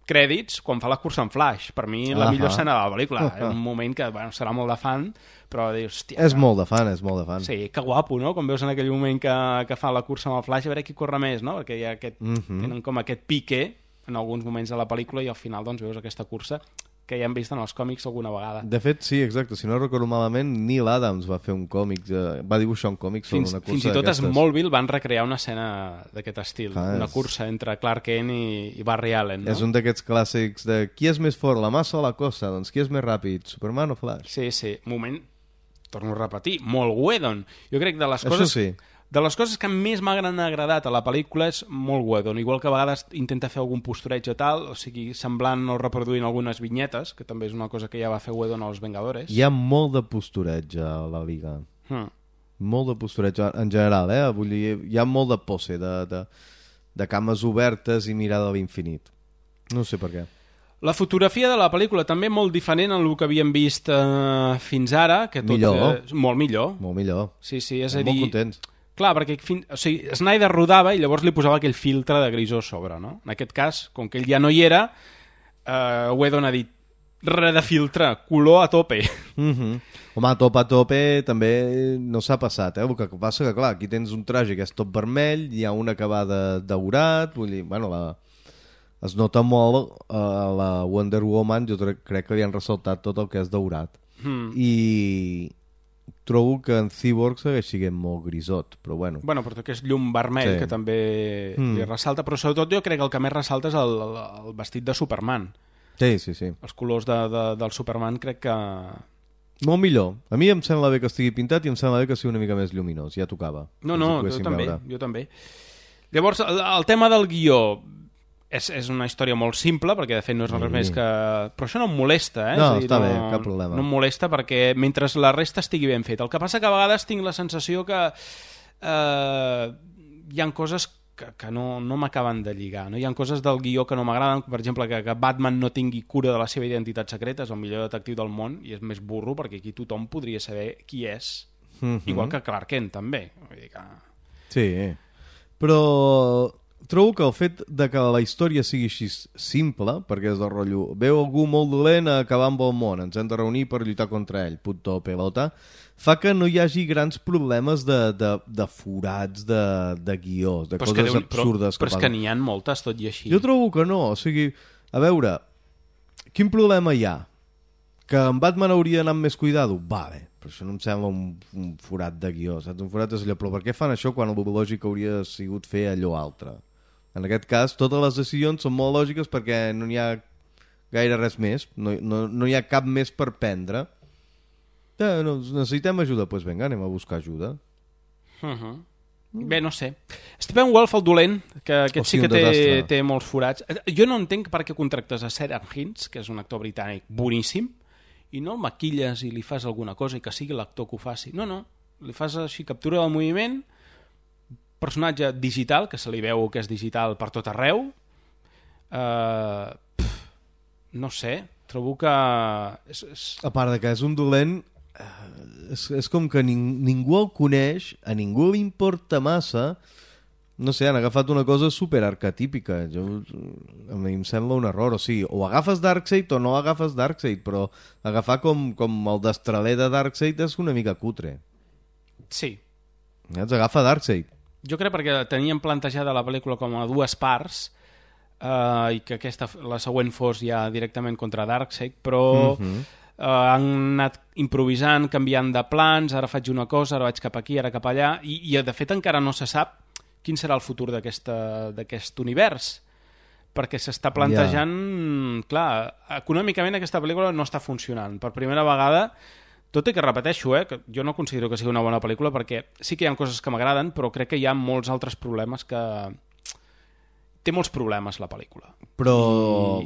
crèdits, quan fa la cursa en Flash. Per mi, la millor escena de la pel·lícula. És un moment que serà molt de fan, però dius, hòstia... És molt de fan. Sí, que guapo, no? Quan veus en aquell moment que fa la cursa amb el Flash, a veure qui corre més, no? Perquè hi ha tenen com aquest pique en alguns moments de la pel·lícula i al final doncs veus aquesta cursa que ja hem vist en els còmics alguna vegada. De fet, sí, exacte. Si no recordo malament, Neil Adams va fer un còmic, va dibuixar un còmic sobre una cursa fins i tot a Smallville van recrear una escena d'aquest estil, una cursa entre Clark Kent i Barry Allen, no? És un d'aquests clàssics de qui és més fort, la massa o la cosa? Doncs qui és més ràpid, Superman o Flash? Sí. Moment, torno a repetir, molt Whedon. Jo crec que de les coses... Això sí. De les coses que més m'han agradat a la pel·lícula és molt Whedon, igual que a vegades intenta fer algun postureig o tal, o sigui, semblant o reproduint algunes vinyetes, que també és una cosa que ja va fer Whedon als Vengadores. Hi ha molt de postureig a la Liga. Molt de postureig en general, Vull dir, hi ha molt de pose, de cames obertes i mirada a l'infinit. No sé per què. La fotografia de la pel·lícula també molt diferent en el que havíem vist fins ara, que tot molt millor. Molt millor. Sí, és a dir... Molt contents. Clar, perquè Snyder rodava i llavors li posava aquell filtre de grisó a sobre, no? En aquest cas, com que ell ja no hi era, Whedon ha dit res de filtre, color a tope. Home, a tope també no s'ha passat, El que passa que, clar, aquí tens un traje que és tot vermell, hi ha una acabada daurat, vull dir, bueno, es nota molt a la Wonder Woman, jo crec que li han ressaltat tot el que és daurat. I trobo que en Cyborg segueix sent molt grisot, però bueno. Bueno, però que és llum vermell, que també li ressalta, però sobretot jo crec que el que més ressalta és el vestit de Superman. Sí. Els colors del Superman crec que... Molt millor. A mi em sembla bé que estigui pintat i em sembla bé que sigui una mica més lluminós, ja tocava. No, jo també. Llavors, el tema del guió... És una història molt simple, perquè de fet no és res més que... Però això no em molesta, No, està bé, cap problema. No em molesta perquè mentre la resta estigui ben fet. El que passa que a vegades tinc la sensació que hi ha coses que no m'acaben de lligar. No? Hi ha coses del guió que no m'agraden, per exemple, que Batman no tingui cura de la seva identitat secreta, és el millor detectiu del món, i és més burro, perquè aquí tothom podria saber qui és, igual que Clark Kent, també. Vull dir que... Sí, però... Trobo que el fet de que la història sigui així simple, perquè és del rotllo, veu algú molt dolent a acabar amb el món, ens hem de reunir per lluitar contra ell, punto pelota, fa que no hi hagi grans problemes de forats, de guió, de coses absurdes. Però és que n'hi ha moltes, tot i així. Jo trobo que no, o sigui, a veure, quin problema hi ha? Que en Batman hauria d'anar amb més cuidado? Vale, però això no em sembla un forat de guió, saps? Un forat és allò, però per què fan això quan el lògic hauria sigut fer allò altre? En aquest cas, totes les decisions són molt lògiques perquè no n'hi ha gaire res més. No hi ha cap més per prendre. Necessitem ajuda, doncs vinga, anem a buscar ajuda. Bé, no sé. Steppenwolf, el dolent, que aquest sí que té molts forats. Jo no entenc per què contractes a Sarah Hines, que és un actor britànic boníssim, i no el maquilles i li fas alguna cosa i que sigui l'actor que ho faci. No, li fas així captura del moviment, personatge digital, que se li veu que és digital per tot arreu. No sé, trobo que... A part de que és un dolent... És com que ningú el coneix, a ningú li importa massa, no sé, han agafat una cosa super arquetípica. A mi em sembla un error, o sigui, o agafes Darkseid o no agafes Darkseid, però agafar com el destraler de Darkseid és una mica cutre. Sí. Ens agafa Darkseid. Jo crec perquè tenien plantejada la pel·lícula com a dues parts i que la següent fos ja directament contra Darkseid, però... han anat improvisant, canviant de plans, ara faig una cosa, ara vaig cap aquí, ara cap allà, i de fet encara no se sap quin serà el futur d'aquest univers, perquè s'està plantejant... Clar, econòmicament aquesta pel·lícula no està funcionant. Per primera vegada, tot i que repeteixo, que jo no considero que sigui una bona pel·lícula, perquè sí que hi ha coses que m'agraden, però crec que hi ha molts altres problemes que... Té molts problemes la pel·lícula. Però...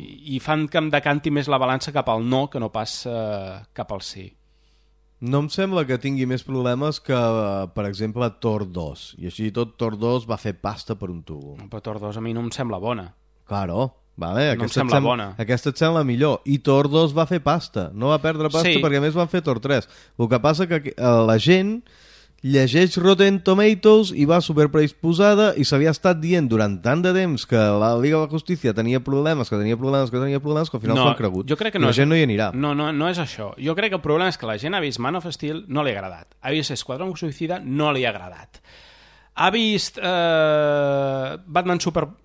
I fan que em decanti més la balança cap al no que no pas cap al sí. No em sembla que tingui més problemes que, per exemple, Thor 2. I així tot Thor 2 va fer pasta per un tubo. Però Thor 2 a mi no em sembla bona. Claro, vale, no em sembla bona. Aquesta et sembla millor. I Thor 2 va fer pasta. No va perdre pasta perquè a més van fer Thor 3. El que passa que la gent... llegeix Rotten Tomatoes i va superpredisposada i s'havia estat dient durant tant de temps que la Liga de la Justícia tenia problemes, que al final s'ho han cregut. Jo crec que la gent no hi anirà. No és això. Jo crec que el problema és que la gent ha vist Man of Steel, no li ha agradat. Ha vist Esquadrón Suïcida, no li ha agradat. Ha vist Batman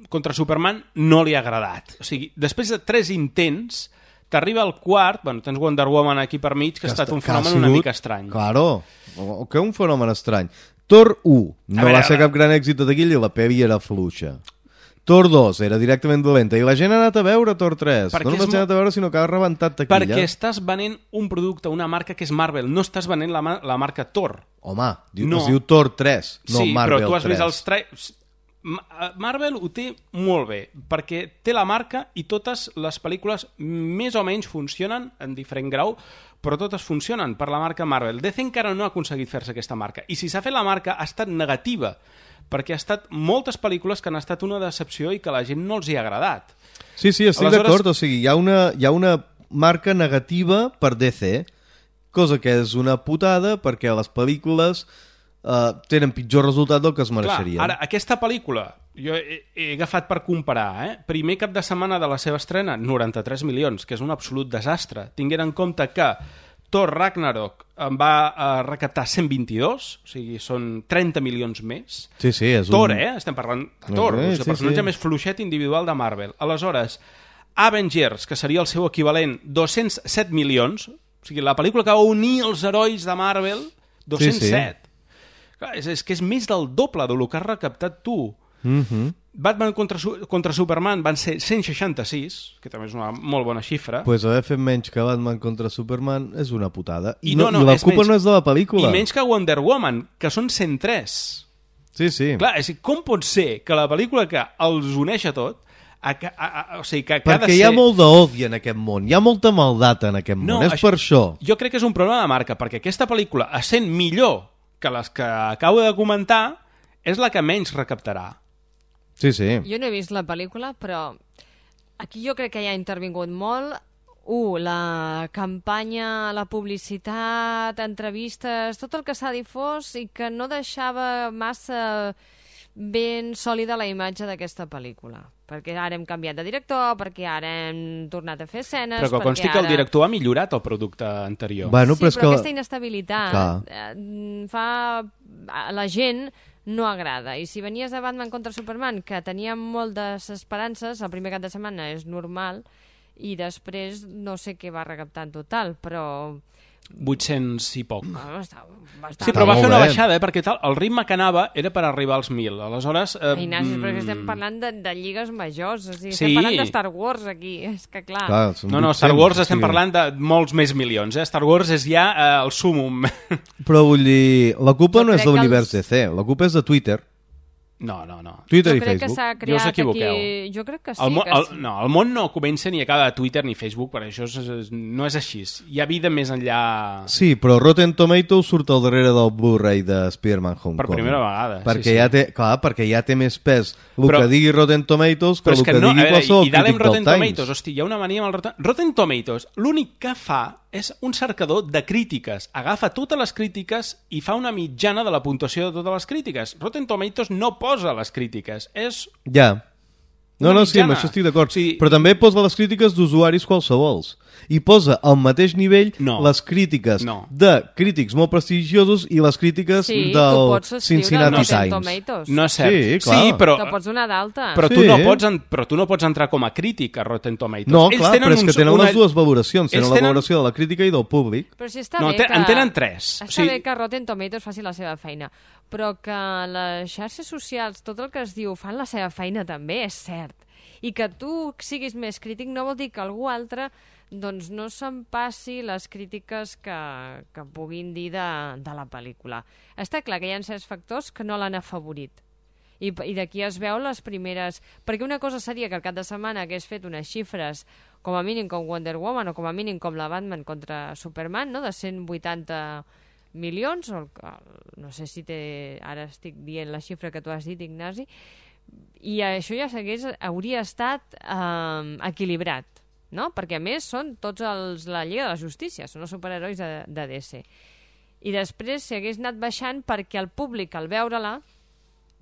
contra Superman, no li ha agradat. O sigui, després de 3 intents... T'arriba al quart, tens Wonder Woman aquí per mig, que ha estat un fenomen una mica estrany. Claro, que un fenomen estrany. Thor 1 no va ser cap gran èxit de taquilla i la pel·li era fluixa. Thor 2 era directament dolenta i la gent ha anat a veure Thor 3. No només ha anat a veure, sinó que ha rebentat taquilla. Perquè estàs venent un producte, una marca que és Marvel, no estàs venent la marca Thor. Home, es diu Thor 3, no Marvel 3. Sí, però tu has vist els trailers... Marvel ho té molt bé, perquè té la marca i totes les pel·lícules més o menys funcionen en diferent grau, però totes funcionen per la marca Marvel. DC encara no ha aconseguit fer-se aquesta marca, i si s'ha fet la marca ha estat negativa, perquè ha estat moltes pel·lícules que han estat una decepció i que a la gent no els hi ha agradat. Sí, estic d'acord, o sigui, hi ha una marca negativa per DC, cosa que és una putada perquè les pel·lícules... tenen pitjor resultat del que es mereixerien. Clar, ara, aquesta pel·lícula, jo he agafat per comparar, primer cap de setmana de la seva estrena, 93 milions, que és un absolut desastre. Tinguent en compte que Thor Ragnarok va recaptar 122, o sigui, són 30 milions més. Sí, és Thor, estem parlant de Thor, el personatge més fluixet individual de Marvel. Aleshores, Avengers, que seria el seu equivalent, 207 milions, o sigui, la pel·lícula que va unir els herois de Marvel, 207. Clar, és que és més del doble del que has recaptat tu. Batman contra Superman van ser 166, que també és una molt bona xifra. Pues haver fet menys que Batman contra Superman és una putada. I la culpa no és de la pel·lícula. I menys que Wonder Woman, que són 103. Sí. Clar, com pot ser que la pel·lícula que els uneix a tot... o sigui, que perquè hi ha molt d'odi en aquest món, hi ha molta maldat en aquest món, és per això. Jo crec que és un problema de marca, perquè aquesta pel·lícula, essent millor que les que acabo de comentar, és la que menys recaptarà. Sí. Jo no he vist la pel·lícula, però aquí jo crec que hi ha intervingut molt. La campanya, la publicitat, entrevistes, tot el que s'ha difós i que no deixava massa ben sòlida la imatge d'aquesta pel·lícula. Perquè ara hem canviat de director, perquè ara hem tornat a fer escenes... Però que consti que el director ha millorat el producte anterior. Però aquesta inestabilitat fa... a la gent no agrada. I si venies de Batman contra Superman, que tenia moltes esperances, el primer cap de setmana és normal, i després no sé què va recaptar en total, però 800 i poc. Bastant. Sí, però va fer una baixada, perquè el ritme que anava era per arribar als 1.000. Aleshores... Ignasi, però estem parlant de lligues majors, o sigui, estem parlant de Star Wars aquí, és que clar... No, Star Wars estem parlant de molts més milions, Star Wars és ja el súmum. Però vull dir, la culpa no és de l'univers DC, la culpa és de Twitter. No. Twitter i Jo crec que Facebook. s'ha No us creat equivoqueu. aquí... Jo crec que sí, No, el món no comença ni acaba a Twitter ni Facebook, per això no és així. Hi ha vida més enllà... Sí, però Rotten Tomatoes surt al darrere del Blu-ray de Spider-Man Homecoming. Per primera vegada, perquè sí. Ja té, clar, perquè ja té més pes el que digui Rotten Tomatoes que el que digui qualsevol crític del Times. Tomatoes, hosti, hi ha una mania amb el Rotten Tomatoes. L'únic que fa és un cercador de crítiques. Agafa totes les crítiques i fa una mitjana de la puntuació de totes les crítiques. Rotten Tomatoes no posa les crítiques. És... Ja. No, sí, amb això estic d'acord. Sí. Però també posa les crítiques d'usuaris qualsevols. I posa al mateix nivell les crítiques de crítics molt prestigiosos i les crítiques del Cincinnati Times. No és cert. Sí, clar. Sí, però... Te pots donar d'alta. Però tu no pots entrar com a crític a Rotten Tomatoes. No, clar, però és que tenen les dues valoracions. Tenen la valoració de la crítica i del públic. Però si està bé que... En tenen 3. Està bé que Rotten Tomatoes faci la seva feina, però que les xarxes socials, tot el que es diu, fan la seva feina també, és cert. I que tu siguis més crític no vol dir que algú altre doncs no se'n passi les crítiques que puguin dir de la pel·lícula. Està clar que hi ha certs factors que no l'han afavorit. I d'aquí es veu les primeres... Perquè una cosa seria que el cap de setmana hagués fet unes xifres com a mínim com Wonder Woman o com a mínim com la Batman contra Superman, no? De 180 milions, o no sé si ara estic dient la xifra que tu has dit, Ignasi, i això ja hauria estat equilibrat, no? Perquè a més són tots la Lliga de la Justícia, són els superherois de DC. I després si hagués anat baixant perquè el públic al veure-la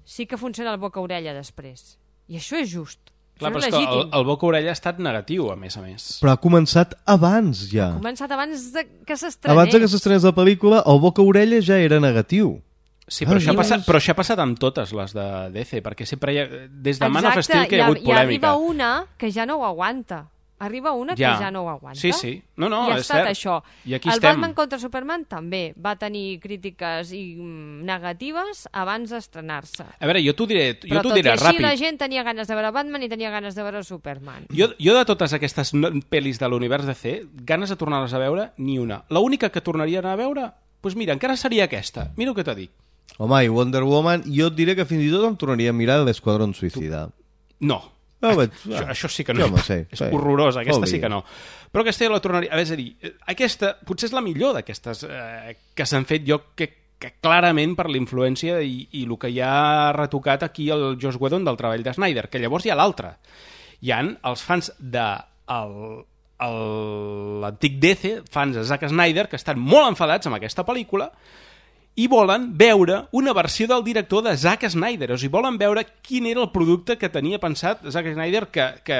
sí que funciona el boca-orella després. I això és just. Clar, però és que el boca-orella ha estat negatiu, a més. Però ha començat abans, ja. Ha començat abans que s'estrenés. Abans que s'estrenés la pel·lícula, el boca-orella ja era negatiu. Sí, però això ha passat amb totes les de DC, perquè sempre hi ha... Des de Man of Steel que hi ha hagut polèmica. I arriba una que ja no ho aguanta. Que ja no ho aguanta. Sí. No, I ha estat això. I aquí el estem. Batman contra Superman també va tenir crítiques negatives abans d'estrenar-se. A veure, jo t'ho diré ràpid. Però tot i així la gent tenia ganes de veure Batman i tenia ganes de veure Superman. Jo de totes aquestes pel·lis de l'univers DC, ganes de tornar-les a veure, ni una. L'única que tornaria a anar a veure, doncs mira, encara seria aquesta. Mira el que t'ho dic. Home, i Wonder Woman, jo et diré que fins i tot em tornaria a mirar l'Esquadrón Suïcida. No. Això sí que no. És horrorós, aquesta sí que no. Però aquesta jo la tornaria... És a dir, aquesta potser és la millor d'aquestes que s'han fet, jo que clarament per la influència i el que ja ha retocat aquí el Joss Whedon del treball de Snyder, que llavors hi ha l'altre. Hi ha els fans de l'antic DC, fans de Zack Snyder, que estan molt enfadats amb aquesta pel·lícula i volen veure una versió del director de Zack Snyder. O sigui, volen veure quin era el producte que tenia pensat Zack Snyder, que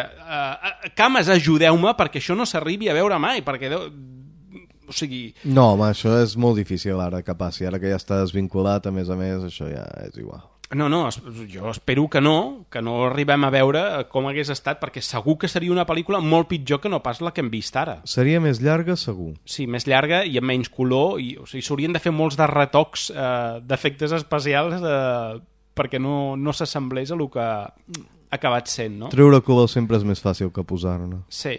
cames, ajudeu-me perquè això no s'arribi a veure mai, perquè... O sigui... No, home, això és molt difícil ara que passi. Ara que ja està desvinculat, a més, això ja és igual. No, jo espero que no arribem a veure com hagués estat, perquè segur que seria una pel·lícula molt pitjor que no pas la que hem vist ara. Seria més llarga, segur. Sí, més llarga i amb menys color, o sigui, s'haurien de fer molts de retocs d'efectes especials perquè no s'assemblés a el que ha acabat sent, no? Treure color sempre és més fàcil que posar-ne. Sí.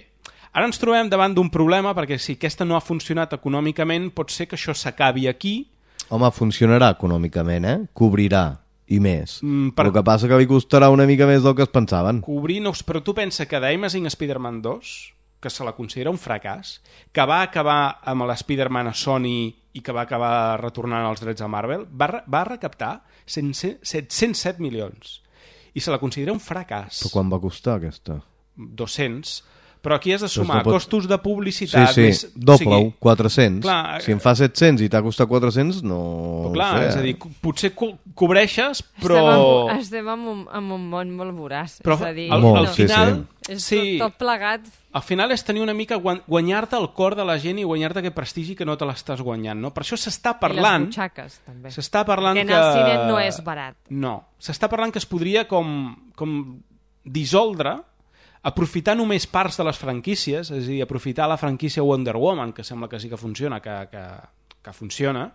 Ara ens trobem davant d'un problema, perquè si aquesta no ha funcionat econòmicament, pot ser que això s'acabi aquí. Home, funcionarà econòmicament, cobrirà. I més. El que passa que li costarà una mica més del que es pensaven. Però tu pensa que The Amazing Spider-Man 2, que se la considera un fracàs, que va acabar amb l'Spider-Man a Sony i que va acabar retornant els drets a Marvel, va recaptar 707 milions. I se la considera un fracàs. Però quan va costar aquesta? 200. Però aquí has de sumar costos de publicitat. Sí, doble-ho, 400. Clar, si em fa 700 i t'ha costat 400, no... Però clar, és a dir, potser cobreixes, però... Estem en un món molt voraç. Però és a dir, al final... És tot plegat. Al final és tenir una mica guanyar-te el cor de la gent i guanyar-te aquest prestigi que no te l'estàs guanyant, no? Per això s'està parlant... I les butxaques, també. S'està parlant que... en el cine no és barat. No. S'està parlant que es podria com dissoldre aprofitar només parts de les franquícies, és a dir, aprofitar la franquícia Wonder Woman, que sembla que sí que funciona, que funciona,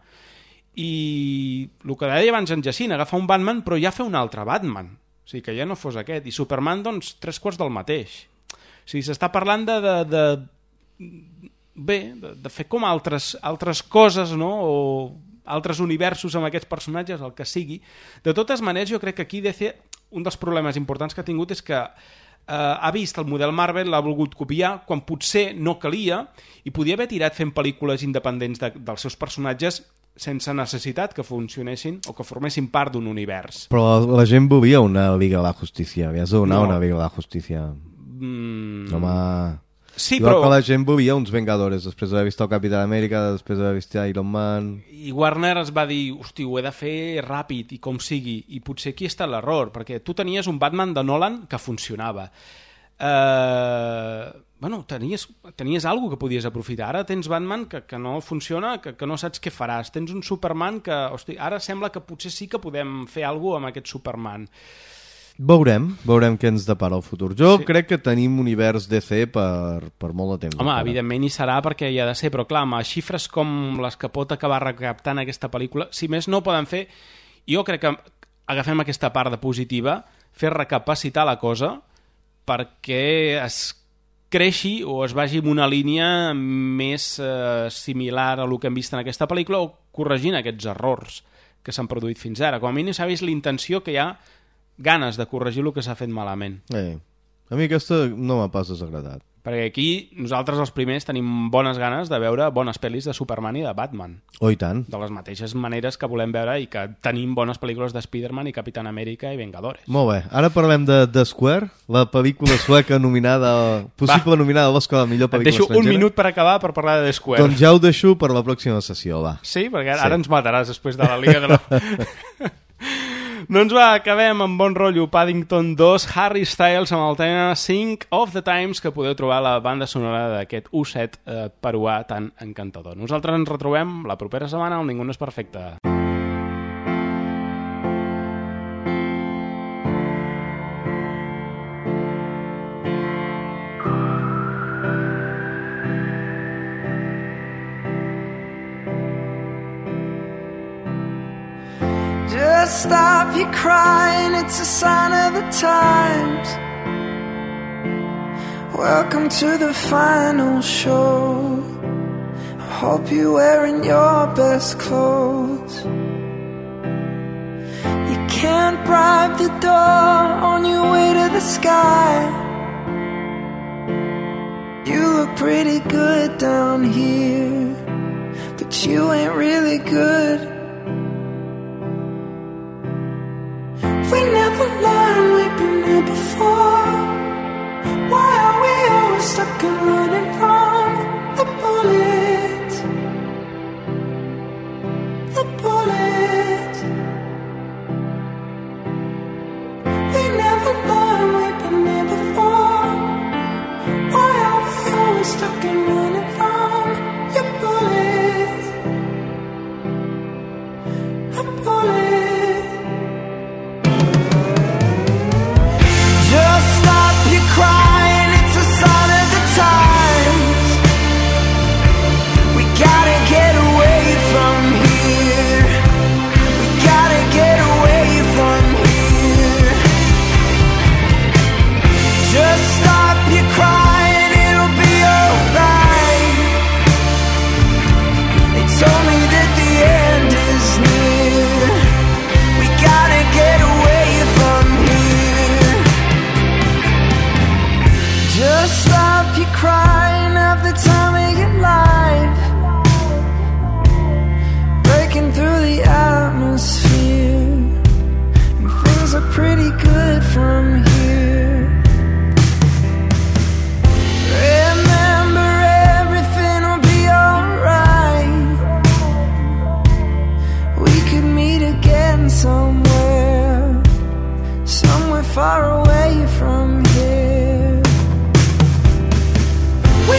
i el que deia abans en Jacint, agafar un Batman però ja fer un altre Batman, o sigui, que ja no fos aquest, i Superman, doncs, 3/4 del mateix. O sigui, s'està parlant de fer com altres coses, no?, o altres universos amb aquests personatges, el que sigui. De totes maneres, jo crec que aquí DC, un dels problemes importants que ha tingut és que ha vist el model Marvel, l'ha volgut copiar, quan potser no calia, i podia haver tirat fent pel·lícules independents dels seus personatges sense necessitat que funcionessin o que formessin part d'un univers. Però la gent volia una Liga de la Justícia, havies de donar una Liga de la Justícia. Home... Sí, igual però... que la gent volia uns Vengadores després d'haver vist el Capità Amèrica, després d'haver vist Iron Man... I Warner es va dir, hosti, ho he de fer ràpid i com sigui, i potser aquí està l'error, perquè tu tenies un Batman de Nolan que funcionava. Bueno, tenies alguna que podies aprofitar. Ara tens Batman que no funciona, que no saps què faràs. Tens un Superman que, hosti, ara sembla que potser sí que podem fer alguna cosa amb aquest Superman. Veurem què ens depara el futur. Jo crec que tenim univers DC per molt de temps. Home, evidentment hi serà perquè hi ha de ser, però clar, amb xifres com les que pot acabar recaptant aquesta pel·lícula, si més no poden fer, jo crec que agafem aquesta part de positiva, fer recapacitar la cosa perquè es creixi o es vagi en una línia més similar a el que hem vist en aquesta pel·lícula o corregint aquests errors que s'han produït fins ara. Com a mínim s'ha vist la intenció que hi ha ganes de corregir el que s'ha fet malament. A mi aquesta no m'ha pas desagradat. Perquè aquí nosaltres els primers tenim bones ganes de veure bones pel·lis de Superman i de Batman. Oh, i tant. De les mateixes maneres que volem veure i que tenim bones pel·lícules de Spider-Man i Capitán Amèrica i Vengadores. Molt bé. Ara parlem de Square, la pel·lícula sueca nominada, possible nominada a l'Oscar de millor pel·lícula estrangera. Et deixo un minut per acabar per parlar de The Square. Doncs ja ho deixo per la pròxima sessió, va. Sí? Perquè ara ens mataràs després de la Liga de la... Doncs va, acabem amb bon rotllo. Paddington 2, Harry Styles amb el tema Sync of the Times, que podeu trobar a la banda sonora d'aquest osset peruà tan encantador. Nosaltres ens retrobem la propera setmana on Ningú no és perfecte. Just stop your crying, it's a sign of the times. Welcome to the final show. I hope you're wearing your best clothes. You can't bribe the door on your way to the sky. You look pretty good down here, but you ain't really good. We never learned, we've been here before. Why are we always stuck and running from the bullets? The bullets. We never learned, we've been here before. Why are we always stuck and running from your bullets? The bullets. Crying, it's a sign of the times. We gotta get away from here. We gotta get away from here. Just stop your crying, it'll be alright. They told me that the end is near. We gotta get away from here. Just stop your crying, have the time of your life. Breaking through the atmosphere, and things are pretty good from here. Remember, everything will be alright. We could meet again somewhere, somewhere far away from here. We